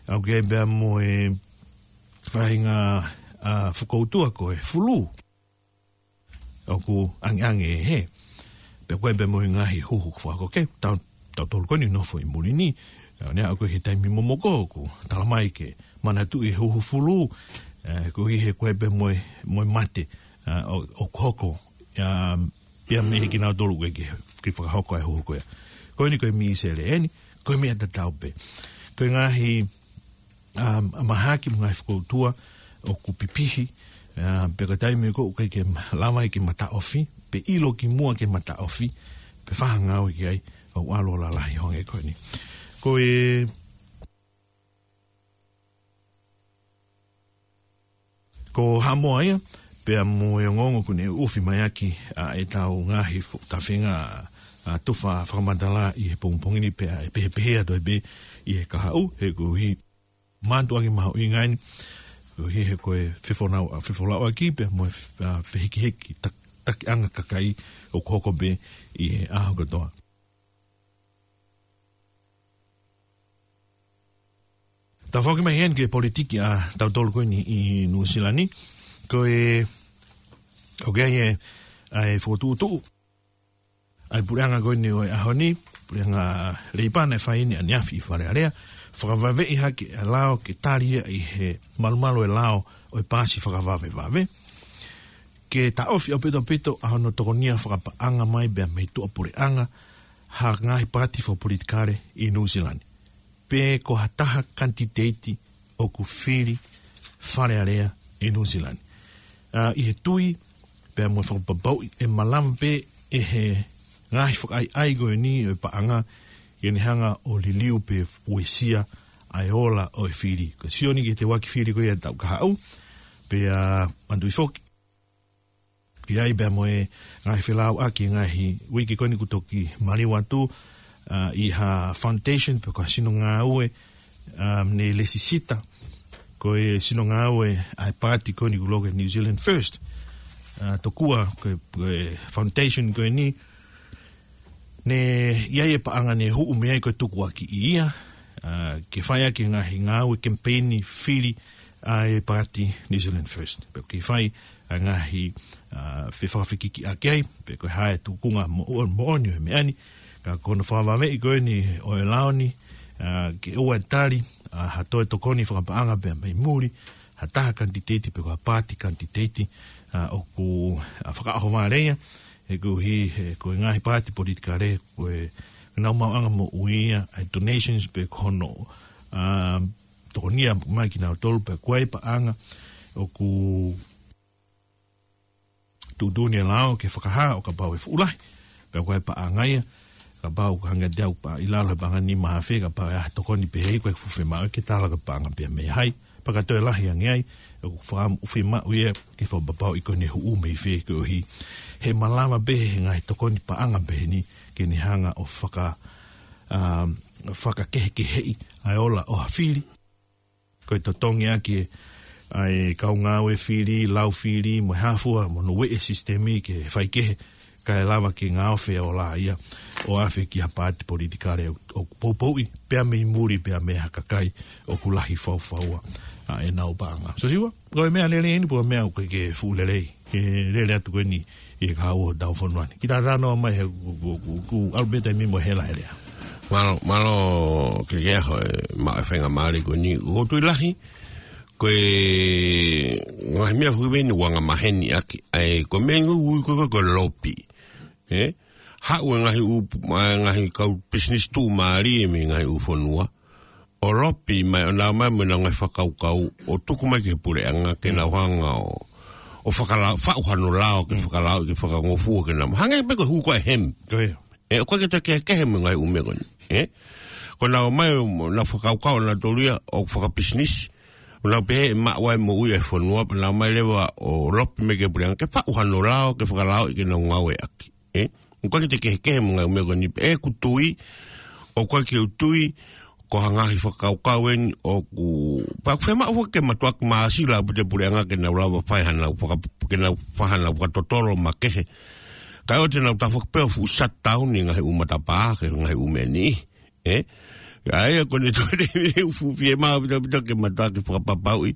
ʻOku ʻi ai pea mo e faʻahinga, ʻa, fokoutua ko e fulū. ʻOku angeange ʻe hē. Pea ko e pea mo e ngaahi huhu fakahoko ke tau, tautolu ko eni ʻoku nofo ʻi muli ni. ʻA, ne ʻoku ʻi he taimi momoko ʻoku tala mai ke manatuʻi e huhu fulū. ʻE, koeʻuhi he ko e pea mo e, mo e mate, ʻa, ʻo, ʻoku hoko. ʻA, pea mei he kinautolu ʻoku ʻikai ke, ke fakahoko e huhu ko ia. Ko eni ko e misele eni, ko e meʻa tatau pē. Ko e ngaahi ʻa, ʻa mahaki mo e ngaahi fokoutua ʻoku pipihi, ʻa, pea ko e taimi ko ē ʻoku ʻikai ke ma-, lava ai ke ma taʻofi, pe ʻilo ki muʻa ke ma taʻofi, pe fai ha ngāue ki ai, ʻoku ʻalu ʻo lalahi hangē ko eni. Ko e, ko Haʻamoa ia, pea mo e ongoongo ʻoku ne ʻufi mai ʻaki, ʻa, ʻetau ngaahi fo-, tafinga, ʻa, tufa fakamatala ʻi he pongipongi ni pea ʻe pehepehē atu ai pē ʻi he kahaʻu, he koeʻuhi mātuʻaki mahuʻinga eni, koeʻuhi he ko e fefonau-, ʻa, fefolauʻaki pea mo e f-, ʻa, fehikihiki tak-, takiʻanga kakai ʻoku hoko pē ʻi he ʻaho kotoa. Tau foki mai heni ki he politiki ʻa tautolu ko eni ʻi Nuʻusila ni. Ko e, ʻoku ʻi ai e, ʻa e fokotuʻutuʻu ʻa e puleʻanga ko eni ʻo e ʻaho ni, puleʻanga Leipa naʻe fai eni ʻaneafi ʻi Fale Alea, fakavaveʻi hake e lao ke tali ia ʻi he malumalu e lao ʻo e paasi fakavavevave. Ke taʻofi ʻaupito ʻaupito ʻa hono tokonia fakapaʻanga mai pea mei tuʻapuleʻanga ha ngaahi paati fakapolitikale ʻi Nuʻusila ni. Pe ko ha taha kanititeiti ʻoku fili Fale Alea ʻi Nuʻusila ni. ʻA, ʻi he tui, pea mo e fakapapauʻi, ʻe malava pē ʻe he ngaahi fakaʻaiʻai ko eni ʻo e paʻanga, ke ne hanga ʻo liliu pe uesia ʻa e ola ʻo e fili. Ko e sio ni ki he teuaki fili ko ia ʻa e taʻu kahaʻu, pea manatuʻi foki ʻi ai pea mo e ngaahi felāuʻaki, ngaahi uike ko eni kuo toki maliu atu, ʻa, ʻi ha foundation pe ko ha sino ngāue, ʻa, ne lesisita, ko e sino ngāue ʻa e paati ko eni kuo lau ko e New Zealand First. ʻA, tokua ko e, ko e foundation ko eni, ne ʻi ai e paʻanga ne huʻu mei ai ko e tukuakiʻi ia, ʻa, ke fai ʻaki e ngaahi ngāue kemipeini fili ʻa e paati New Zealand First. Pea ke fai ʻa e ngaahi, ʻa, fefakafekikiʻaki ai, pe ko e hā e tūkunga mo-, moʻoni ʻo e meʻa ni, ka ko hono fakavaveʻi ko eni ʻo e lao ni, ʻa, ke ʻoua ʻe tali, ʻa, ha toe tokoni fakapaʻanga pea mei muli, ha taha kanititeiti pe ko ha paati kanititeiti, ʻa, ʻoku, ʻa, fakaʻohovale ia, he koeʻuhi, he ko e ngaahi paati politikale, ko e, ko ʻenau maʻuʻanga moʻui ia, ʻa e donations pe ko hono, ʻa, tokonia mai kinautolu pe ko e paʻanga ʻoku tuʻutuʻuni e lao ke fakahā ʻo kapau ʻe fuʻu lahi. Pe ko e paʻanga ia, kapau ko e hangē ʻa e paʻanga ʻi lalo he paʻanga nima afe, kapau ʻe ʻi ai ha tokoni pehē, ko e fuʻu fiemaʻu ke tala ko e paʻanga pea mei hai. Pea ka toe lahi ange ai, ʻoku fakaʻamu fiemaʻu ia ke fakapapauʻi ko ʻene huʻu mei fē koeʻuhi. He malava pē he ngaahi tokoni paʻanga pehē ni ke ne hanga ʻo faka-, ʻa, fakakehekeheʻi ʻa e ola ʻo ha fili. Ko e totongi ʻaki ʻa e kau ngāue fili, lau fili, mo e hā fua, mo hono ueʻi e sisitemi ke faikehe, kae lava ke ngaohi e ola ia ʻo afe ki ha paati politikale ʻo, ʻo poupouʻi, pea mei muli, pea mei ha kakai ʻoku lahi faufaua ʻa ʻenau paʻanga. Siosiua, ko e meʻa lelei eni, pe ko e meʻa ʻoku ʻikai ke fuʻu lelei, ke lele atu ko eni ʻi he kahaʻu ʻo hotau fonua ni. Kiʻi talanoa mai he ku, ku, ku, ku ʻalu pē taimi mo e hela he lea. Mālō, mālō Kekeaho e maʻu e faingamālie ko eni. ʻOku ou tui lahi, ko e ngaahi meʻa foki eni ʻoku angamaheni ʻaki, ʻa e, ko e meʻa ʻoku ui ko e, ko e lopi. Ē? Haʻu e ngaahi ʻū, ʻa e ngaahi kau pisinisi tuʻumālie mei he ngaahi ʻū fonua ʻo lopi mai, ʻo nau ō mai mo ʻenau ngaahi fakakaukau, ʻo tuku mai ki he puleʻanga ke nau hanga ʻo, ʻo fakala-, faʻu hano lao, ke fakalao, ke fakangofua, ke nau. Hangē pē ko e hū ko ē e hemi. Ko ia. Ē, ʻoku ʻikai ke toe kehekehe mo e ngaahi ʻū meʻa ko eni. Ē? Ko ʻenau ō mai, ʻo nau fakakaukau ʻanautolu ia ʻo fakapisinisi. ʻO nau pehē ʻe maʻu ai e moʻui ʻa e fonua, pea nau ō mai leva ʻo lopi mai ki he puleʻanga, ke faʻu hano lao, ke fakalaoʻi ke nau ngāueʻaki. Ē? ʻOku ʻikai ke toe kehekehe mo e ngaahi ʻū meʻa ko eni, ʻoku ou tui, ʻoku ʻikai ke u tui, ko ha ngaahi fakakaukau eni ʻoku, pea ʻoku fiemaʻu foki ke mātuʻaki māsila ʻaupito e puleʻanga ke nau lava fai hanau faka-, ke nau fai hanau fakatotolo makehe. Kae ʻoua te nau tafoki pē ʻo fuʻu shutdown e ngaahi ʻū matapā, ke ngaahi ʻū meʻa ni. Ē? ʻA ia ko ʻene toe te fuʻu fiemaʻu ʻaupito ʻaupito ke mātuʻaki fakapapauʻi,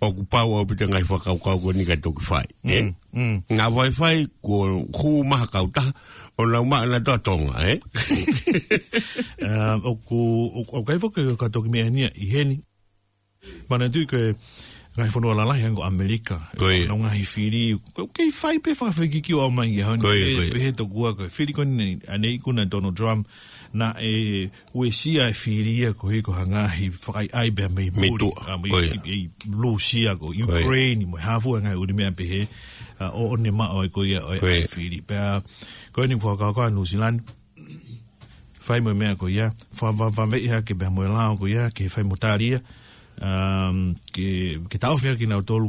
ʻoku pau ʻaupito e ngaahi fakakaukau ko eni kae toki fai. Ē? Mm, mm. Ngā vaifai ko hū mai ha kautaha, ʻo nau maʻu ʻanautolu ʻa Tonga, ē? Ā, ʻoku, ʻoku, ʻoku ʻikai foki ke toki meʻa eni ia ʻi heni. Manatuʻi ko e ngaahi fonua lalahi hangē ko ʻAmelika. Ko ia. Nau ngaahi fili, ʻoku kei fai pē fakafekikiʻi ʻo aʻu mai ki he ʻaho ni. Ko ia, pehē, ko ia. Pehē tokua ko e fili ko eni ʻanenai ʻoku na Donald Trump, naʻe uesia e fili ia koeʻuhi ko ha ngaahi fakaʻaiʻai pea mei muli. Mei tuʻa. Ā, mei, ko ia. ʻI, ʻi Lūsia, ko ia. Ukraine, mo e hā fua e ngaahi ʻū meʻa pehē, ā, ʻo, ʻo ne maʻu ai ko ia, ʻo, ko ia. ʻA e fili. Pea, ko eni fakakaukau ʻa Nuʻusila ni. Fai mo e meʻa ko ia, fa-, fa-, fakavaveʻi hake pea mo e lao ko ia, ke fai mo tali ia, um, ke, ke taʻofi hake kinautolu,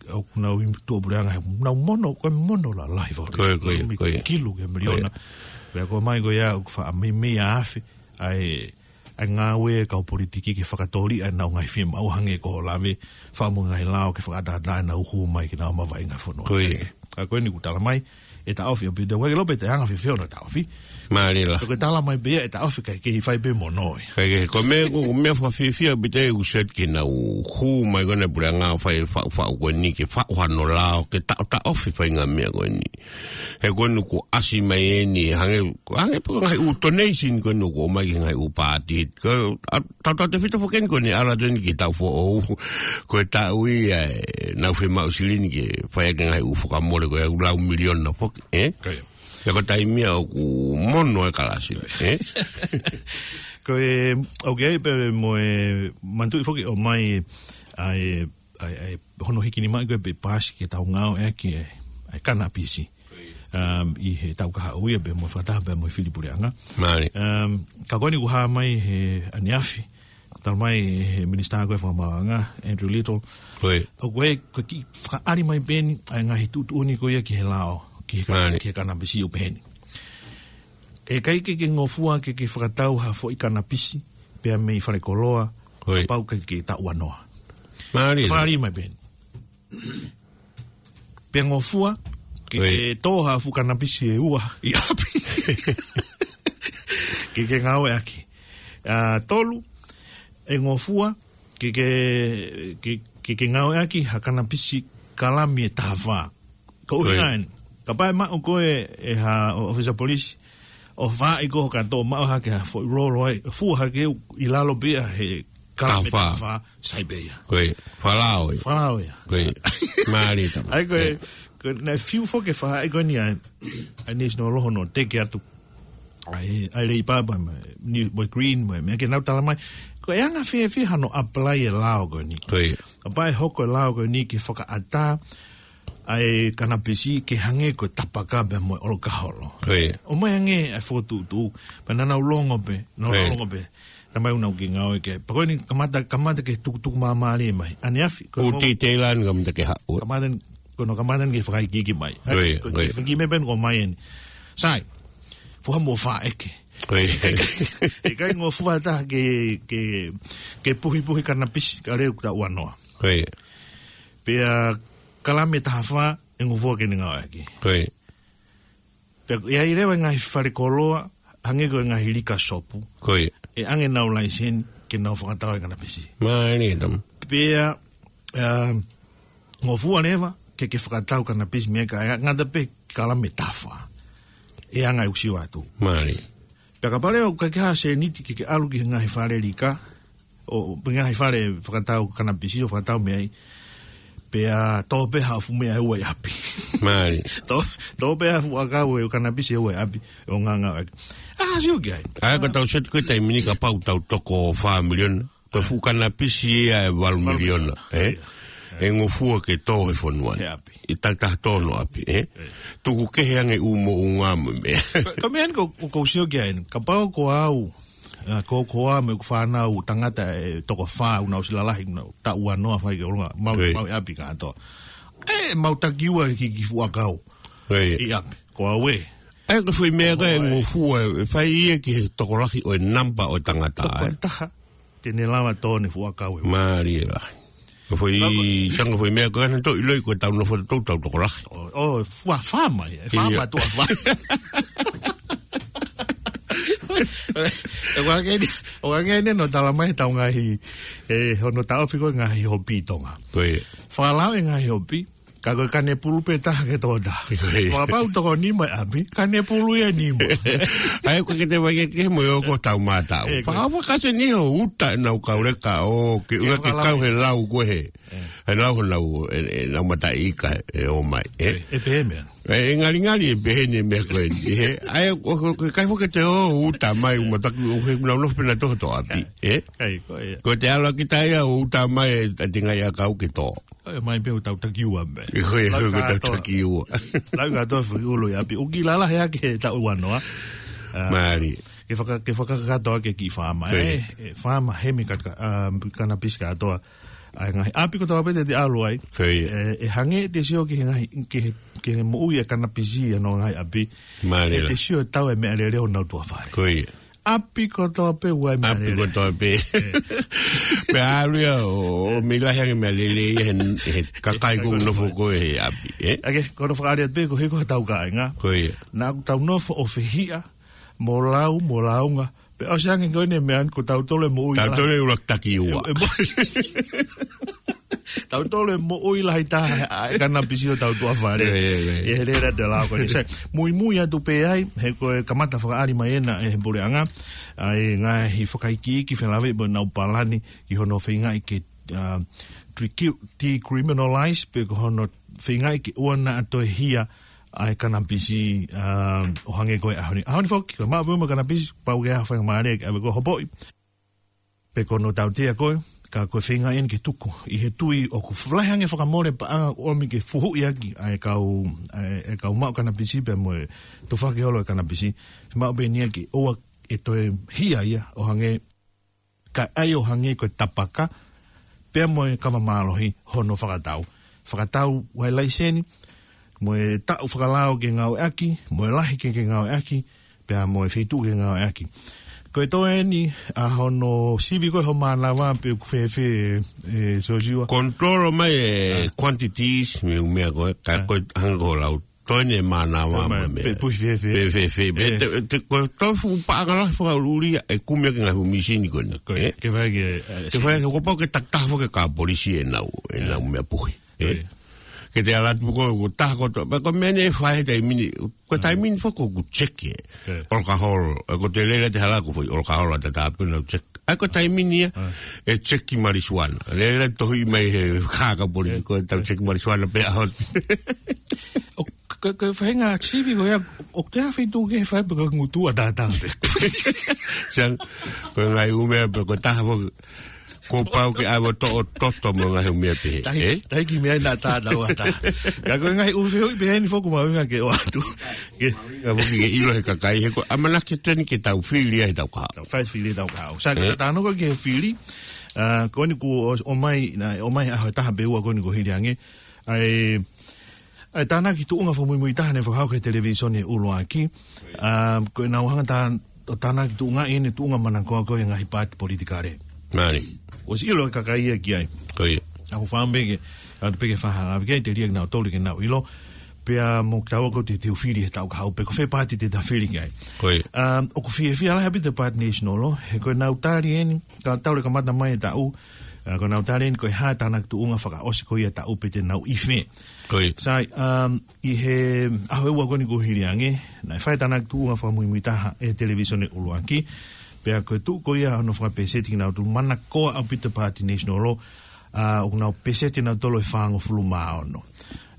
ʻoku nau ʻi tuʻapuleʻanga he, nau mono, ko e mono lalahi faka-. Ko ia, ko ia, mei ko ia. Kilu ki he miliona. Ko ia. Pea ko e meʻa ko ia, ʻoku faʻa meimei afe, ʻa e, ʻa e ngāue kau politiki ke fakatōliʻa ʻenau ngaahi fiemaʻu hangē ko hoʻo lave, fai mo e ngaahi lao ke fakaʻataʻatā ʻenau hū mai ke nau mavahe ngaahi fonua. Ko ia. Ka ko eni ʻoku tala mai, ʻe taʻofi ʻaupito, ʻoku ʻikai ke ʻilo pe ʻe anga fēfē hono taʻofi. Mālie lā. Ka ko e tala mai pē ia ʻe taʻofi kae kei fai pē mo noi. Kae kei, ko e meʻa ko, ko e meʻa fakafiefia ʻaupito ʻoku sio ki heʻenau hū mai ko eni ʻa e puleʻanga ʻo fai faʻufaʻu ko eni ke faʻu hano lao ke taʻotaʻofi e faʻahinga meʻa ko eni. He ko eni kuo ʻasi mai eni, hangē, hangē pē ko e ngaahi ʻū donation ko eni kuo ʻomai ki he ngaahi ʻū paati. Ko, a, tautautefito foki eni ko eni ʻalu atu eni ki he taʻu foʻou. Ko e taʻu ia ʻe nau fiemaʻu silini ke fai ʻaki e ngaahi ʻū fakamole ko e ʻū lau miliona foki, ē? Ko ia. Ia ko e taimi ia ʻoku mono e kalasi, ē? Ko e, ʻoku ʻi ai pē mo e manatuʻi foki ʻomai ʻa e, ʻa e, ʻa e hono hikinimaʻi ko ē pe paasi ke tau ngāueʻaki e, ʻa e kanapisi. Um, ʻi he taʻu kahaʻu ia pea mo e fakataha pea mo e fili puleʻanga. Mālie. Um, ka ko eni kuo hā mai he ʻaneafi, tala mai he minisitā ko ē fakamaauʻanga, Andrew Little. Ko ia. ʻOku ʻi ai, ko e kiʻi fakaʻali mai pē eni ʻa e ngaahi tuʻutuʻuni ko ia ki he lao, ki he ka-, Mālie. Ki he kanapisi ʻo pehē ni. ʻE ʻikai ke ke ngofua ke ke fakatau ha foʻi kanapisi, pea mei falekoloa, Ko ia. Kapau ʻoku ʻikai ke taʻuanoa. Mālie. Fakaʻali mai pē eni. Pea ngofua, ke, Ko ia. Ke tō ha fuʻu kanapisi ʻe ua ʻi ʻapi. Ke ke ngāueʻaki. ʻA, tolu, ʻe ngofua, ke ke, ke, ke ke ngāueʻaki ha kanapisi kalami ʻe taha fā. Ko Ko ia. Eni. Kapau ʻe maʻu koe ʻe ha ʻo-, ʻōfisa polisi, ʻo fai ko ē ka tō maʻu hake ha foʻi lolo ai, fua hake ʻi lalo pē ia he kalami Taha fā. Taha fā, sai pē ia. Ko ia. Fakalao ia. Fakalao ia. Ko ia. Mālie tama. ʻA ia ko e, Ko e, naʻe fiu foki e faʻahi ko eni ʻa e, ʻa e National Law hono teke atu ʻa e, ʻa e Labour pea mo e, ni, mo e Green, mo e, meʻa ke nau tala mai. Ko e anga fēfē hano apply e lao ko eni. Ko ia. Kapau ʻe hoko e lao ko eni ke fakaʻatā ʻa e kanapisi ke hangē ko e tapaka pea mo e ʻolokaholo. Ko ia. ʻOmai ange ʻa e fokotuʻutuʻu, pea naʻa nau longo pē, nau Ko ia. Longo pē. Tamai ʻoku nau kiʻi ngāueʻaki. Pea ko eni kamata, kamata ke tukutuku māmālie mai. ʻAneafi, ko ʻOku e mo-, titei lani kamata ke haʻu. Kamata ni, ko hono kamata ni ke fakaikiiki mai. Ko ia, Ko e ko ia. Kiʻi meʻa pē eni kuo ʻomai eni. Sai, fua mo faʻeke. Ko ia. ʻIkai ngofua ha taha ke, ke, ke puhipuhi kanapisi, ka leu taʻuanoa. Ko ia. Pea kalami ʻe taha fā, ʻe ngofua ke ne ngāueʻaki. Ko ia. Pea ʻi ai leva e ngaahi falekoloa, hangē ko e ngaahi lika sopu. Ko ia. ʻE ʻange ʻenau laiseni ke nau fakatau e kanapisi. Mālie tama. Pea, um, ngofua leva, ke ke fakatau kanapisi mei ai ka ʻe ngata pē kalami ʻe taha fā. ʻE anga ʻeku sio atu. Mālie. Pea kapau leva ʻoku ʻikai ke ʻi ai ha sēniti ke ke ʻalu ki he ngaahi fale lika, ʻo, pe ngaahi fale fakatau kanapisi ʻo fakatau mei ai. Pea tō pē ha fuʻu meʻa ʻe ua ʻi ʻapi. Mālie. Tō, tō pē ha fuʻu ʻakau ʻe kanapisi ʻe ua ʻi ʻapi, ʻo ngāngāueʻaki. ʻA, sio ki ai. ʻA ia ka tau seti ko e taimi ni kapau tau toko fā miliona. Ko e fuʻu kanapisi ia ʻe valu miliona, ē? Ia. ʻE ngofua ke tō he fonua ni. He ʻapi. ʻI he taimi ʻe taha tō hono ʻapi, ē? Ia. Tuku kehe ange ʻū moʻunga mo e meʻa. Ko, ko e meʻa eni ko, ko, ʻoku ou sio ki ai eni. Kapau ko au, ʻa, ko, ko au mo ʻeku fānau tangata ʻe toko fā ʻoku nau ʻosi lalahi, nau taʻuanoa fai ke ʻolunga, mau, Ko ia. Mau ʻi ʻapi kātoa. ʻE, mau takiua ki, ki he fuʻu ʻakau. Ko ia. ʻI ʻapi. Ko au ē. ʻA ia ko e foʻi meʻa ko ē Ko au ē. Ngofua, ʻe fai ia ki he tokolahi ʻo e namba ʻo e tangata, Toko ē? Taha. Te ne lava tō ʻene fuʻu ʻakau ē. Mālie lahi. Ko e foʻi, Ka ko- sanga foʻi meʻa ko ē naʻa tau ʻiloʻi ko e tau nofo ʻo tau tau tokolahi. ʻO, ʻo, fua fā mai, ʻe fā Ia. Mai tuʻa fā. ʻOku ʻikai ke ni, ʻoku ʻikai ke ni hono tala mai ʻe he tau ngaahi, ʻe, hono taʻofi ko e ngaahi hopi ʻi Tonga. Ko ia. Fakalao e ngaahi hopi, ka ko e kanepulu pē taha ke tō taha. Ko ia. Ko kapau toko nima ʻi ʻapi, kanepulu ia ʻe nima. ʻA ia ko e ke te vai ke ke mo e oko tau mātau. ʻE, ko ia. Fakafakase ni ho uta ʻenau kau leka ʻo ke ʻUhinga ke fakalao kau ia. He lau ko ē he. ʻE. He lau honau, ʻe, ʻenau mataʻi ika ʻe ō mai, ē? ʻE, ʻe pehē meʻa. ʻE, ʻe ngalingali ʻe pehē ni meʻa ko eni, ē? ʻA ia, ʻo, ʻo, ʻikai foki ke te ō uta mai, ʻū mataku, ʻo, ke nau nofo pē nautolu ʻi hoto ʻapi, ē? ʻE, ko ia. Ko e te ʻalu ʻaki taia ʻo uta mai, ʻa e tingai ʻakau ke tō. ʻE, mai pē ʻo tau takiua mai. ʻE, ko ia, Lau ko e tau kātoa. Takiua. Lau kātoa foʻi ʻulu ʻi ʻapi. ʻOku kiʻi lalahi ʻaki he taʻuanoa. ʻA, Mālie. Ke faka-, ke fakakakato ʻaki e kiʻi faama. Ko ia. ʻE, ʻe, faama hemi ka-, ka-, ʻa, kanapisi kātoa. ʻA e ngaahi ʻapi kotoa pē te te ʻalu ai. Ko ia. ʻE, ʻe hangē ʻete sio ki he ngaahi, ki he, ki he moʻui e kanapisi ʻi honau ngaahi ʻapi. Mālie lā. ʻEte sio ʻe tau e meʻalele ʻo honau tuʻa fale. Ko ia. ʻapi kotoa pē ʻoku ʻi ai meʻa lelei. ʻApi kotoa pē. Pea ʻalu ia ʻo, ʻo meimei lahi ange meʻa lelei ia he, he kakai ʻoku nofo ko ē he ʻapi, ē? ʻA ia, ko hono fakaʻaliʻali pē ko e hiko ha tau kāinga. Ko ia. Naʻa ʻoku tau nofo ʻo fehiʻa, mo lau, mo launga. Pea ʻosi ange ko eni meʻa ko tautolu e moʻui lahi. Tautolu e ʻuluaki taki ua. E, e moʻui. Tautolu e moʻui lahi taha ʻa e kanapisi ʻo tau tuʻa fale. Ia, ia, ia. Ia he lea te lau ko eni. Sai, muimui atu pē ai, he ko e kamata fakaʻali mai ena ʻe he puleʻanga ʻa e ngaahi fakaikiiki felāveʻi mo ʻenau palani ki hono feingaʻi ke, ah, decriminalize pe ko hono feingaʻi ke ʻoua naʻa toe hia ʻa e kanapisi, ah, ʻo hangē ko e ʻaho ni. ʻAho ni foki, ko e maʻu pē mo e kanapisi, pau ke ʻaho faingamālie ke ʻave koe ʻo hopoʻi. Pe ko hono tautea koe, ka ko e feingaʻi eni ke tuku. ʻI he tui ʻoku lahi ange fakamole paʻanga ʻoku ʻomi ke fuhuʻi ʻaki ʻa e kau, ʻa e, ʻa e kau maʻu kanapisi pea mo e tufaki holo e kanapisi. Maʻu pē eni ia ke ʻoua ʻe toe hia ia ʻo hangē, ka ʻai ʻo hangē ko e tapaka, pea mo e kava mālohi hono fakatau. Fakatau ʻa e laiseni, mo e taʻu fakalao ke ngāueʻaki, mo e lahi ke, ke ngāueʻaki, pea mo e feituʻu ke ngāueʻaki. Ko e toe eni, ʻa hono sivi ko ē ho mānava pe ʻoku fēfē, ē, Siosiua. Control mai e quantities, mei he ʻū meʻa ko ē, ka ko e hangē ko hoʻo lau. Toe eni e mānava mo e meʻa. Pe puhi fēfē. Pe fēfē. Pe te, te, ko e toe fuʻu paʻanga lahi fakaʻuliʻuli ia, ʻe kumi ʻaki e ngaahi ʻū mīsini ko eni. Ko e, ke fai ke, ē, ke fai ke, kuo pau ke takitaha foki e kau polisi ʻenau, ʻenau meʻa puhi. Ē? Ke te ala atu ko, ko taha ko to, pe ko e meʻa ne fai he taimi ni, ko e taimi ni foki ʻoku check ē. ʻOlokaholo, ē, ko te lele te hala ko foʻi ʻolokaholo ʻa tatā pē nau check. ʻAi ko e taimi ni ia, ʻe check marijuana. Lele tohi mai he kākā polisi ko e tau check marijuana pē ʻaho. ʻO, ko, ko e faʻahinga sivi ko ia, ʻoku te ʻi ha feituʻu kehe fai pe ko e ngutu ʻa tatā pē. Siʻa, ko e ngaahi ʻū meʻa pe ko e taha foki. Kuo pau ke ʻave ʻo toʻo toto mo e ngaahi ʻū meʻa pehē. Tahi, ē? Tahi ki meʻa ʻi na ta na ua ta. Ka ko e ngaahi ʻū fehuʻi pehē ni foki ʻoku mahuʻinga ke ʻoatu. Ke. Ka foki ke ʻilo he kakai he ko e ʻamanaki atu eni ke tau fili ai ʻetau kahaʻu. Tau fai fili ʻetau kahaʻu. Sai, ē? Ka tau talanoa ko ē ki he fili, ah, ko eni kuo ʻo, ʻomai, naʻe ʻomai ʻaho ʻe taha pe ua ko eni kuo hili ange. ʻA e, ʻa e tānaki tuʻunga fakamuimuitaha naʻe fakahoko he televīsone ʻuluaki. Ah, ko ʻenau hanga tā, ʻo tānaki tuʻungaʻi ʻene tuʻunga manakoa ko ē he ngaahi paati politikale. Mālie. ʻOsi ʻilo e kakai ia ki ai. Ko ia. ʻOku ou fakaʻamu pē ke, ʻoatu pē ke fakahā ange ki ai, telia kinautolu ke nau ʻilo. Pea mo kitaua ko e te teu fili he taʻu kahaʻu pe ko fē paati te ta fili ki ai. Ko ia. Ah, ʻoku fiefia lahi ʻaupito e paati National, he ko ʻenau tali eni, ka tau le kamata mai e taʻu, ah, ko ʻenau tali eni ko e hā e tānaki tuʻunga fakaʻosi ko ia taʻu pe te nau ʻi fē. Ko ia. Sai, um, ʻi he ʻaho ʻe ua ko eni kuo hili ange, naʻe fai e tānaki tuʻunga fakamuimuitaha ʻe he televīsone ʻuluaki, pea ko e tuʻu ko ia hono fakapēseti kinautolu manakoa ʻaupito paati National, ah, ʻoku nau pēseti nautolu ʻe fāngofulu mā ono.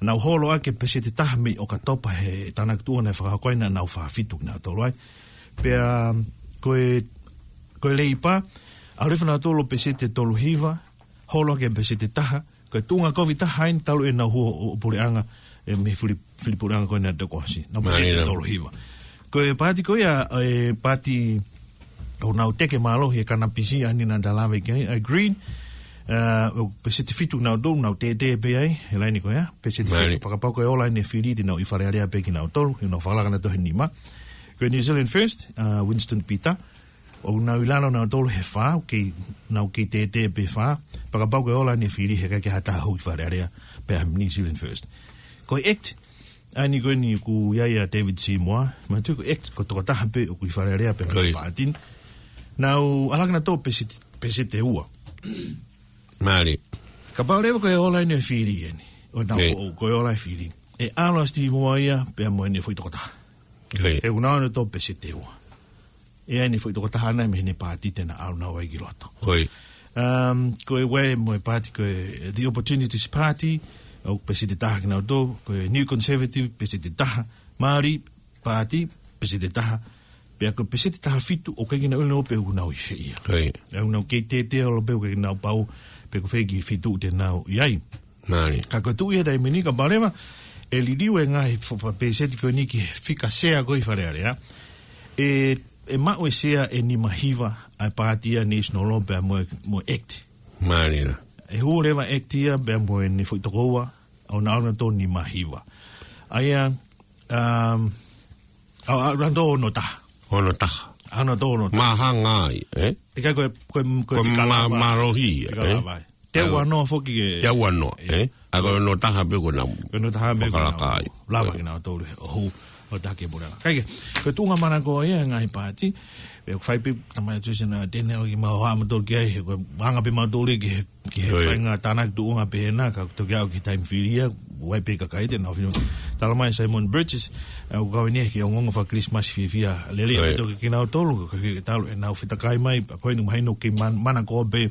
Nau holo ʻaki e pēseti ʻe taha mei ʻOkatopa he tānaki tuʻunga naʻe fakahoko ai naʻa nau fā fitu kinautolu ai. Pea ko e, ko e Leipa, ʻalu hifo nautolu pēseti ʻe tolu hiva, holo ʻaki e pēseti ʻe taha, ko e tuʻunga kovi taha eni talu ʻenau hū ʻo, ʻo puleʻanga, ē, mei he fili, fili puleʻanga ko eni ʻa e tokosi. Nau pēseti ʻe tolu hiva. Ko e paati ko ia, e paati ʻoku nau teke mālohi e kanapisi ʻa eni naʻa ta lave ki ai, ʻa e Green, ah, ʻoku pēseti ʻe fitu nautolu, nau tētē pē ai, he laine ko ia, pēseti ʻe fitu, fakapapau ko e ola eni e fili te nau ʻi Fale Alea pē kinautolu, he nau fakalaka nautolu he nima. Ko e New Zealand First, ah, Winston Peters, ʻoku nau ʻi lalo nautolu he fā, ʻoku kei, nau kei tētē pē fā, fakapapau ko e ola eni e fili he ʻikai ke ha taha hū ki Fale Alea pea New Zealand First. Ko e act, ʻa eni ko eni ʻoku ʻi ai ʻa David Seymour, manatuʻi ko e act ko e tokotaha pē ʻoku ʻi Fale Alea pea mo e paati ni. Nau ʻalu ʻaki nautolu pēseti, pēseti ʻe ua. Mālie. Kapau leva ko e ola eni e fili eni. ʻO nau foʻou, ko e ola e fili. ʻE ʻalu ʻa Steve Moir ia, pea mo ʻene foʻi tokotaha. He ʻoku nau ʻalu nautolu pēseti ʻe ua. ʻE ʻi ai ʻene foʻi tokotaha ʻana mei heʻene paati te na ʻalu nautolu ai ki loto. Um, ko e ue mo e paati ko e The Opportunities Party, ʻoku pēseti ʻe taha kinautolu, ko e New Conservative, pēseti ʻe taha, Māori Party, pēseti ʻe taha, pea ko e pēseti ʻe taha fitu, ʻoku ʻikai ke nau ʻilo pe ʻoku nau ʻi fē ia. ʻOku nau kei tētē holo pē ʻoku ʻikai ke nau pau, pe ko fē e kiʻi feituʻu te nau ʻi ai. Mālie. Ka ko e tuʻu ia he taimi ni kapau leva ʻe liliu e ngaahi fa-, fa-, pēseti ko eni ki he fika sea ko ē ʻi Fale Alea, ʻe, ʻe maʻu e sea ʻe nima hiva ʻa e paati ia National pea mo e, mo e act. Mālie. ʻE hū leva act ia pea mo ʻene foʻi tokoua, ʻo nau ʻalu nautolu nima hiva. ʻA ia, um, ʻa, ʻa, ʻalu nautolu ono taha. Ono taha. Hano tō no. Mahanga ai, ē? ʻIkai ko e, ko e, ko e Ko e fika ma-, lava. Mālohi, Fika ē? lava ai. Te Ai, ua noa foki ke Te ua noa, ē? ʻA ko e ono taha pē ko ena. Ko e ono taha pē ko ena. Fakalaka ai. Lava Ē. ke na tolu. ʻO hū, ʻo taki pule. Kae kehe, ko e tuʻunga manako ia ngaahi pāti. Pe ko fai pē tamai atu sena tene o ki mau ha mautolu ki ai, he ko e anga pē mautolu ki he, ki he Ē. fainga tānaki tuʻunga pē ena, ka toki aʻu ki he taimi fili ia, ʻoku ʻi ai pē kakai te nau fino. Tala mai Simon Burgess, ʻa, ʻoku kau eni he ke ongoongo faka-Christmas fiefia. Lele Ē. atu ki kinautolu, ka ke talu ʻenau fetakai mai, ko eni mahino ke man-, manako pē,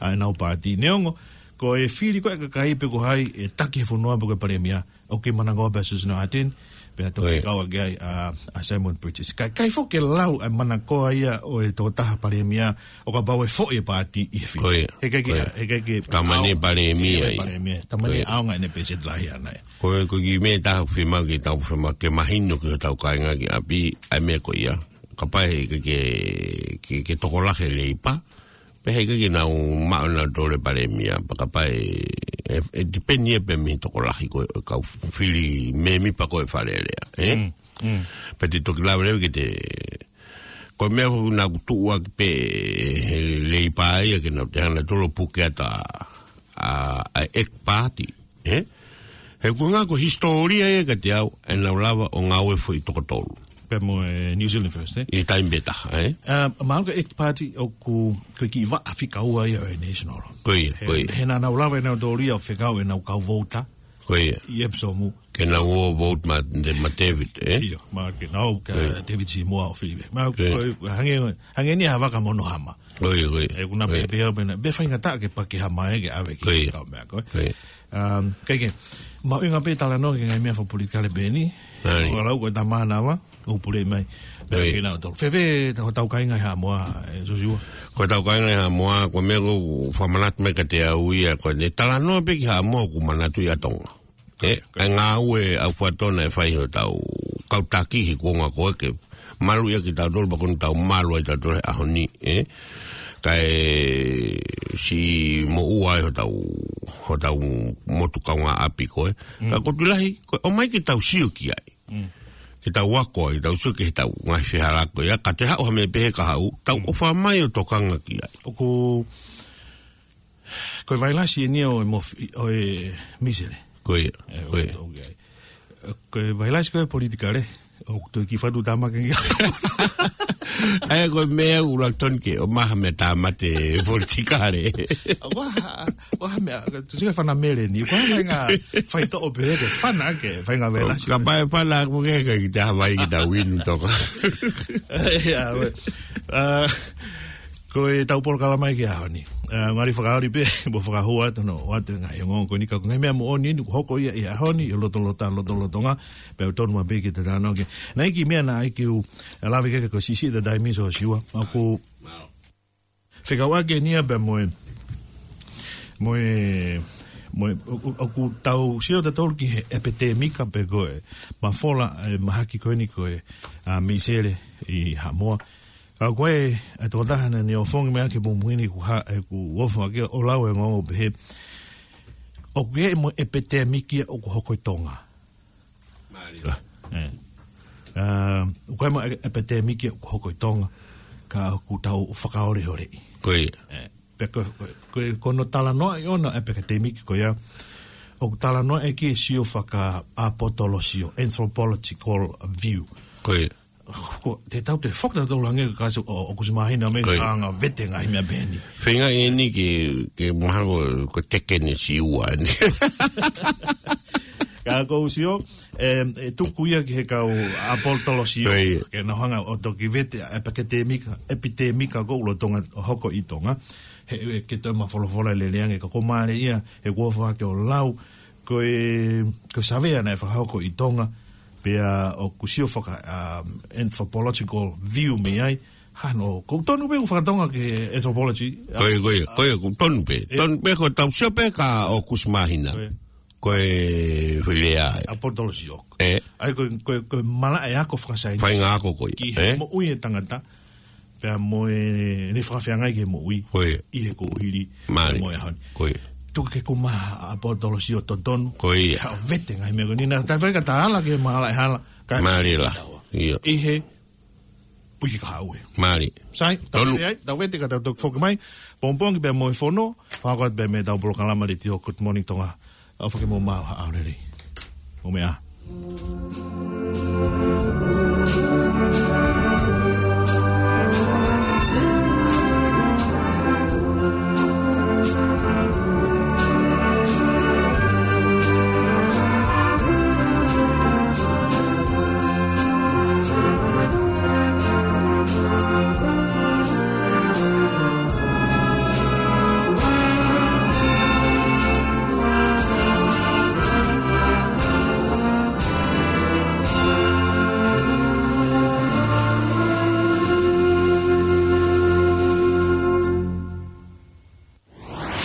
ʻa, ʻenau pāti. Neongo, ko e fili ko e kakai pe ko hai, ʻe taki he fonua pe ko e palēmia, ʻoku manako pē ʻa Susan Ardern, pea toki Ē. kau ake ai, ʻa, ʻa Simon Burgess. Ka, ʻikai foki ke lau ʻa e manako ia ʻo e tokotaha palēmia, ʻo kapau ʻe foʻi e pāti ʻi he fili. Ko ia. He ʻikai ke, Ko ia. he ʻikai ke Tamani ʻaonga palēmia ʻe ia. palēmia. Tamani Ko ia. ʻaonga ʻene peseti lahi ʻana ia. Ko e, ko e kiʻi meʻa ʻe taha ʻoku fiemaʻu ke tau fiemaʻu ke mahino ki hotau kāinga ki ʻapi, ʻa e meʻa ko ia. Kapau he ʻikai ke, ke, ke tokolahi e Leipa, pe he ʻikai ke nau maʻu ʻenautolu e palēmia, pea kapau ʻe, ʻe, ʻe tipeni ia pē mei he tokolahi ko e kau fili mēmipa ko e Fale Alea, ē? Mm, mm. Pea te toki lave leva ki he, ko e meʻa foki naʻa ku tuʻu ʻaki pē he Leipa ia ke nau toe hanga ʻenautolu ʻo puke atu ʻa, ʻa, ʻa e ʻEki Pāti, ē? He ko e ngaahi ko e hisitōlia ia kiate au, ʻenau lava ʻo ngāue foʻi toko tolu. Pea mo e New Zealand First, ē? ʻI he taimi pē taha, ē? ʻA, mahalo ko e ʻEki Pāti ʻoku, ko e kiʻi vaʻa fika ua ia ʻo e National. Ko ia, He, ko ia. he naʻa nau lava ʻenautolu ia ʻo fekau ʻenau kau vouta. Ko ia. ʻI Epsom. Ke nau ō vote ma, de, ma David, ē? ʻIo, ma ke nau, ka Ko ia. David Seymour ʻo fili. Ma, Ko ia. ko e, hangē, hangē ni ha vaka mono hama. Ko ia, ko ia. ʻE kuna Ko ia. pē, pē, pē, pē faingataʻa ke pake hama ē ke ʻave ki Ko ia. kau meʻa ko ē. Ko ia. Um, kae kehe, mahuʻinga pē talanoa ki he ngaahi meʻa fakapolitikale pē eni. ʻAi. ʻO lau ko e tamana ava, ʻo pule mai. Meʻa ʻAi. ki nau tau. Fēfē, tau, tau kāinga ʻi Haʻamoa, ē, Joshua? Ko e tau kāinga ʻi Haʻamoa, ko e meʻa ʻoku fakamanatu mai kiate au ia, ko e talanoa pē ki Haʻamoa ʻoku manatuʻi ʻa Tonga. Ē, ʻa e ngāue ʻaufuatō naʻe fai ʻe hotau kau taki he kuonga ko ē ke maluʻi ʻaki kitautolu, pea ko eni tau malu ai kitautolu he ʻaho ni, ē. Kae siʻi moʻua ai hotau, hotau motu kaungāʻapi ko ē. Mm. Ka ko e tuʻu lahi, ko e ʻomai ke tau sio ki ai. Mm. Ke tau ako ai, tau sio ki heʻetau ngaahi fehālaaki ko ia, ka te haʻu ha meʻa pehē ka haʻu, tau Mm. ʻofa mai ʻo tokanga ki ai. ʻOku, ko e vailasi eni ʻo e mofi-, ʻo e misele. Ko ia, ʻE, ko ia. ʻo, ʻo, ʻo, ko e vailasi ko e politikale, ʻoku toe kiʻi fatu tāmaki ki ai. ʻAi, ko e meʻa ʻuluaki tonu ke ʻomai ha meʻa tāmate politikale. Ua, ua meʻa, tu sika fana mele ni, ua fainga faitoʻo pē ke fana ke, fainga vailasi. Ka pae fana, ko ke ka kita Hawaii kita win toka. ʻIa, ua. ʻA, ko e tau polokalama ki he ʻaho ni. ʻA, ngali fakaoli pē, mo fakahua atu no, ʻoatu e ngaahi ongoongo ko eni ka ko e ngaahi meʻa moʻoni eni, ʻoku hoko ia ʻi he ʻaho ni, ʻi he lotolotonga, lotolotonga, pea ʻoku tonu maʻu pē ke te talanoa ki ai. Naʻe ʻi ai e kiʻi meʻa naʻe ʻai ke u, ʻa, lave ki ai ko e sisi ta daimi so siua. ʻOku fekauʻaki eni ia pea mo e, mo e, mo e, ʻo, ʻo, ʻoku tau sio tautolu ki he ʻepitemika pe ko e mafola, ʻe, mahaki ko eni ko e, ʻa, misele ʻi Haʻamoa. Ka ko e, ʻa e tokotaha naʻa ne ʻofongi mai ʻaki he pongipongi ni ʻoku ha, ʻe, ʻoku ofo ʻaki ʻo lau e ongoongo pehē. ʻOku ʻi ai mo e ʻepitemiki ʻoku hoko ʻi Tonga. Mālie. ʻE. ʻA, ʻoku ʻi ai mo e ʻepitemiki ʻoku hoko ʻi Tonga. Ka ʻoku tau fakaoleoleʻi. Ko ia. ʻE. Pea ko, ko, ko, ko hono talanoaʻi ʻona e ʻepitemiki ko ia. ʻOku talanoaʻi ki he sio fakaʻapotolosio, anthropological view. Ko ia. Ko, te tau toe foki tautolu hangē ko e kasi ʻo, ʻo Kusi Māhina mei Ko ia. Anga vete ngaahi meʻa pehē ni. Feinga eni ke, ke mahalo ko e tekeni siua eni. Ka ko u sio, ʻe, ʻe tuku ia ki he kau ʻapotolosio. Ko ia. Ke nau hanga ʻo toki vete ʻa e ʻepitemika, ʻepitemika ko ē ʻoku lolotonga hoko ʻi Tonga. He, he, ke toe mafolofola lelei ange ka ko e mālie ia, he kuo faka ke o lau, ko e, ko e savea naʻe fakahoko ʻi Tonga, pea ʻoku sio faka, um, anthropological view mei ai, hano, ʻoku tonu pē ʻoku fakatonga ki he anthropology. Ko ia, ko ia, ko ia, ʻoku tonu pē. ʻE. Tonu pē ko e tau sio pē ka ʻo Kusi Māhina. Ko ia. Ko e filea. ʻApotolosio. ʻE. ʻAi ko, ko, ko e malaʻe ako fakasaienisi. Faʻahinga ako ko ia. Ki he ʻE. moʻui e tangata. Pea mo e, ne fakafeangai ki he moʻui. Ko ia. ʻI he kuohili. Mālie. Mo e ʻaho ni. Ko ia. Tuku ke kuma ʻapotolosio totonu. Ko ia. Ha vete ngaahi meʻa ko eni naʻa tau fai ka ta ala ke mahala e hala. Ka Mālie la. ʻIo. ʻI he Puke ka haʻu ē. Mālie. Sai, tau Tolu. Vete ai, tau vete ka tau toki foki mai. Pongipongi pea mo e fono, fakakau atu pea mo ʻetau polokalama letiō Good Morning Tonga. ʻOfa ke mou maʻu ha ʻaho lelei. Mou meʻa ā.